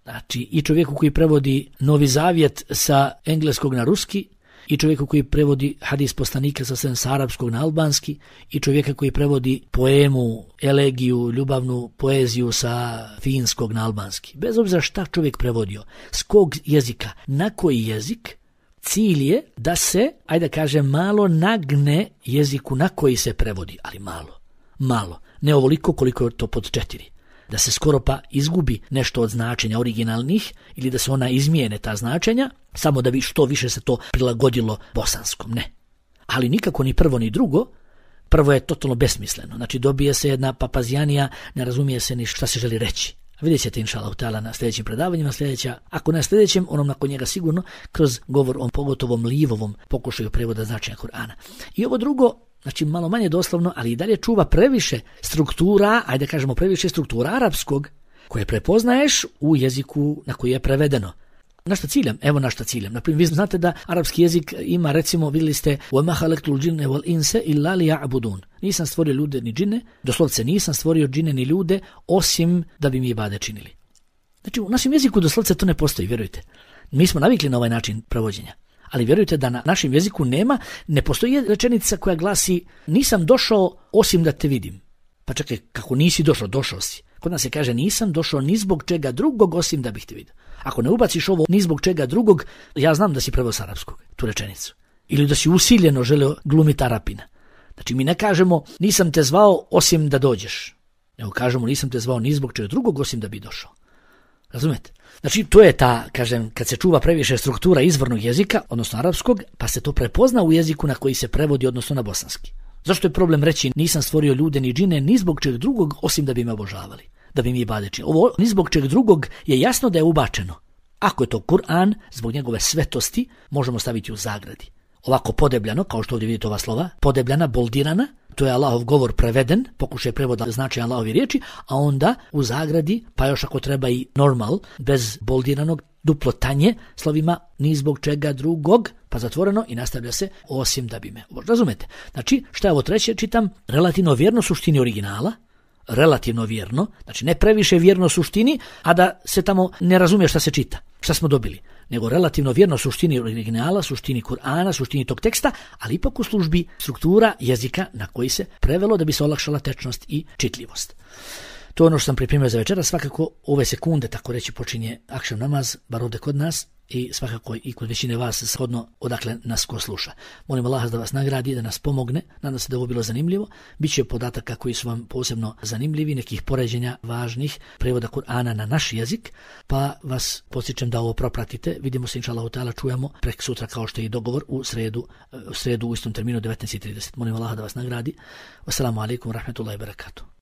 Znači i čovjeku koji prevodi Novi Zavjet sa engleskog na ruski, i čovjeku koji prevodi hadis poslanika sa sa arapskog na albanski, i čovjeka koji prevodi poemu, elegiju, ljubavnu poeziju sa finskog na albanski. Bez obzira šta čovjek prevodio, s kog jezika, na koji jezik, cilj je da se, ajde da kažem, malo nagne jeziku na koji se prevodi, ali malo, malo, ne ovoliko koliko je to pod četiri. Da se skoro pa izgubi nešto od značenja originalnih ili da se ona izmijene ta značenja, samo da bi što više se to prilagodilo bosanskom, ne. Ali nikako ni prvo ni drugo, prvo je totalno besmisleno, znači dobije se jedna papazijanija, ne razumije se ni šta se želi reći. Vidjet ćete inšallah ta'ala na sljedećim predavanjima, sljedeća, ako na sljedećem, onom nakon njega sigurno, kroz govor o pogotovom Livovom pokušaju prevoda značenja Kur'ana. I ovo drugo, znači malo manje doslovno, ali i dalje čuva previše struktura, ajde kažemo previše struktura arapskog, koje prepoznaješ u jeziku na koji je prevedeno. Na šta ciljam? Evo na šta ciljam. Naprimjer, vi znate da arapski jezik ima, recimo, vidjeli ste وَمَا خَلَقْتُ الْجِنَّ وَالْإِنْسَ إِلَّا لِيَعْبُدُونَ. Nisam stvorio ljude ni džine, doslovce nisam stvorio džine ni ljude, osim da bi mi ibade činili. Znači, u našem jeziku doslovce to ne postoji, vjerujte. Mi smo navikli na ovaj način prevođenja. Ali vjerujte da na našem jeziku nema, ne postoji rečenica koja glasi nisam došao osim da te vidim. Pa čekaj, kako nisi došao, došao si. Kod nas se kaže nisam došao ni zbog čega drugog osim da bih te vidio. Ako ne ubaciš ovo ni zbog čega drugog, ja znam da si preveo s arapskog tu rečenicu. Ili da si usiljeno želeo glumiti Arapina. Znači mi ne kažemo nisam te zvao osim da dođeš. Nego kažemo nisam te zvao ni zbog čega drugog osim da bi došao. Razumete? Znači to je ta, kažem, kad se čuva previše struktura izvornog jezika, odnosno arapskog, pa se to prepozna u jeziku na koji se prevodi, odnosno na bosanski. Zašto je problem reći nisam stvorio ljude ni džine ni zbog čeg drugog osim da bi me obožavali, da bi mi ibade činili. Ovo ni zbog čeg drugog je jasno da je ubačeno. Ako je to Kur'an, zbog njegove svetosti, možemo staviti u zagradi. Ovako podebljano, kao što ovdje vidite ova slova, podebljana, boldirana, to je Allahov govor preveden, pokušaj prevoda znači Allahovi riječi, a onda u zagradi, pa još ako treba i normal, bez boldiranog, duplo tanje, slovima ni zbog čega drugog, pa zatvoreno i nastavlja se osim da bi me. Razumete? Znači, šta je ovo treće? Čitam relativno vjerno suštini originala, relativno vjerno, znači ne previše vjerno suštini, a da se tamo ne razumije šta se čita, šta smo dobili, nego relativno vjerno suštini originala, suštini Kur'ana, suštini tog teksta, ali ipak u službi struktura jezika na koji se prevelo da bi se olakšala tečnost i čitljivost. To je ono što sam pripremio za večera. Svakako ove sekunde, tako reći, počinje akšam namaz, bar ovdje kod nas, i svakako i kod većine vas shodno odakle nas ko sluša. Molim Allaha da vas nagradi, da nas pomogne. Nadam se da ovo bilo zanimljivo. Biće podataka koji su vam posebno zanimljivi, nekih poređenja važnih, prevoda Kur'ana na naš jezik, pa vas podsjećam da ovo propratite. Vidimo se, inša Allahu ta'ala, čujemo prek sutra kao što je i dogovor u sredu, u sredu u istom terminu devetnaest i trideset. Molim Allaha da vas nagradi. Wassalamu alaikum wa rahmatullahi wa barakatuh.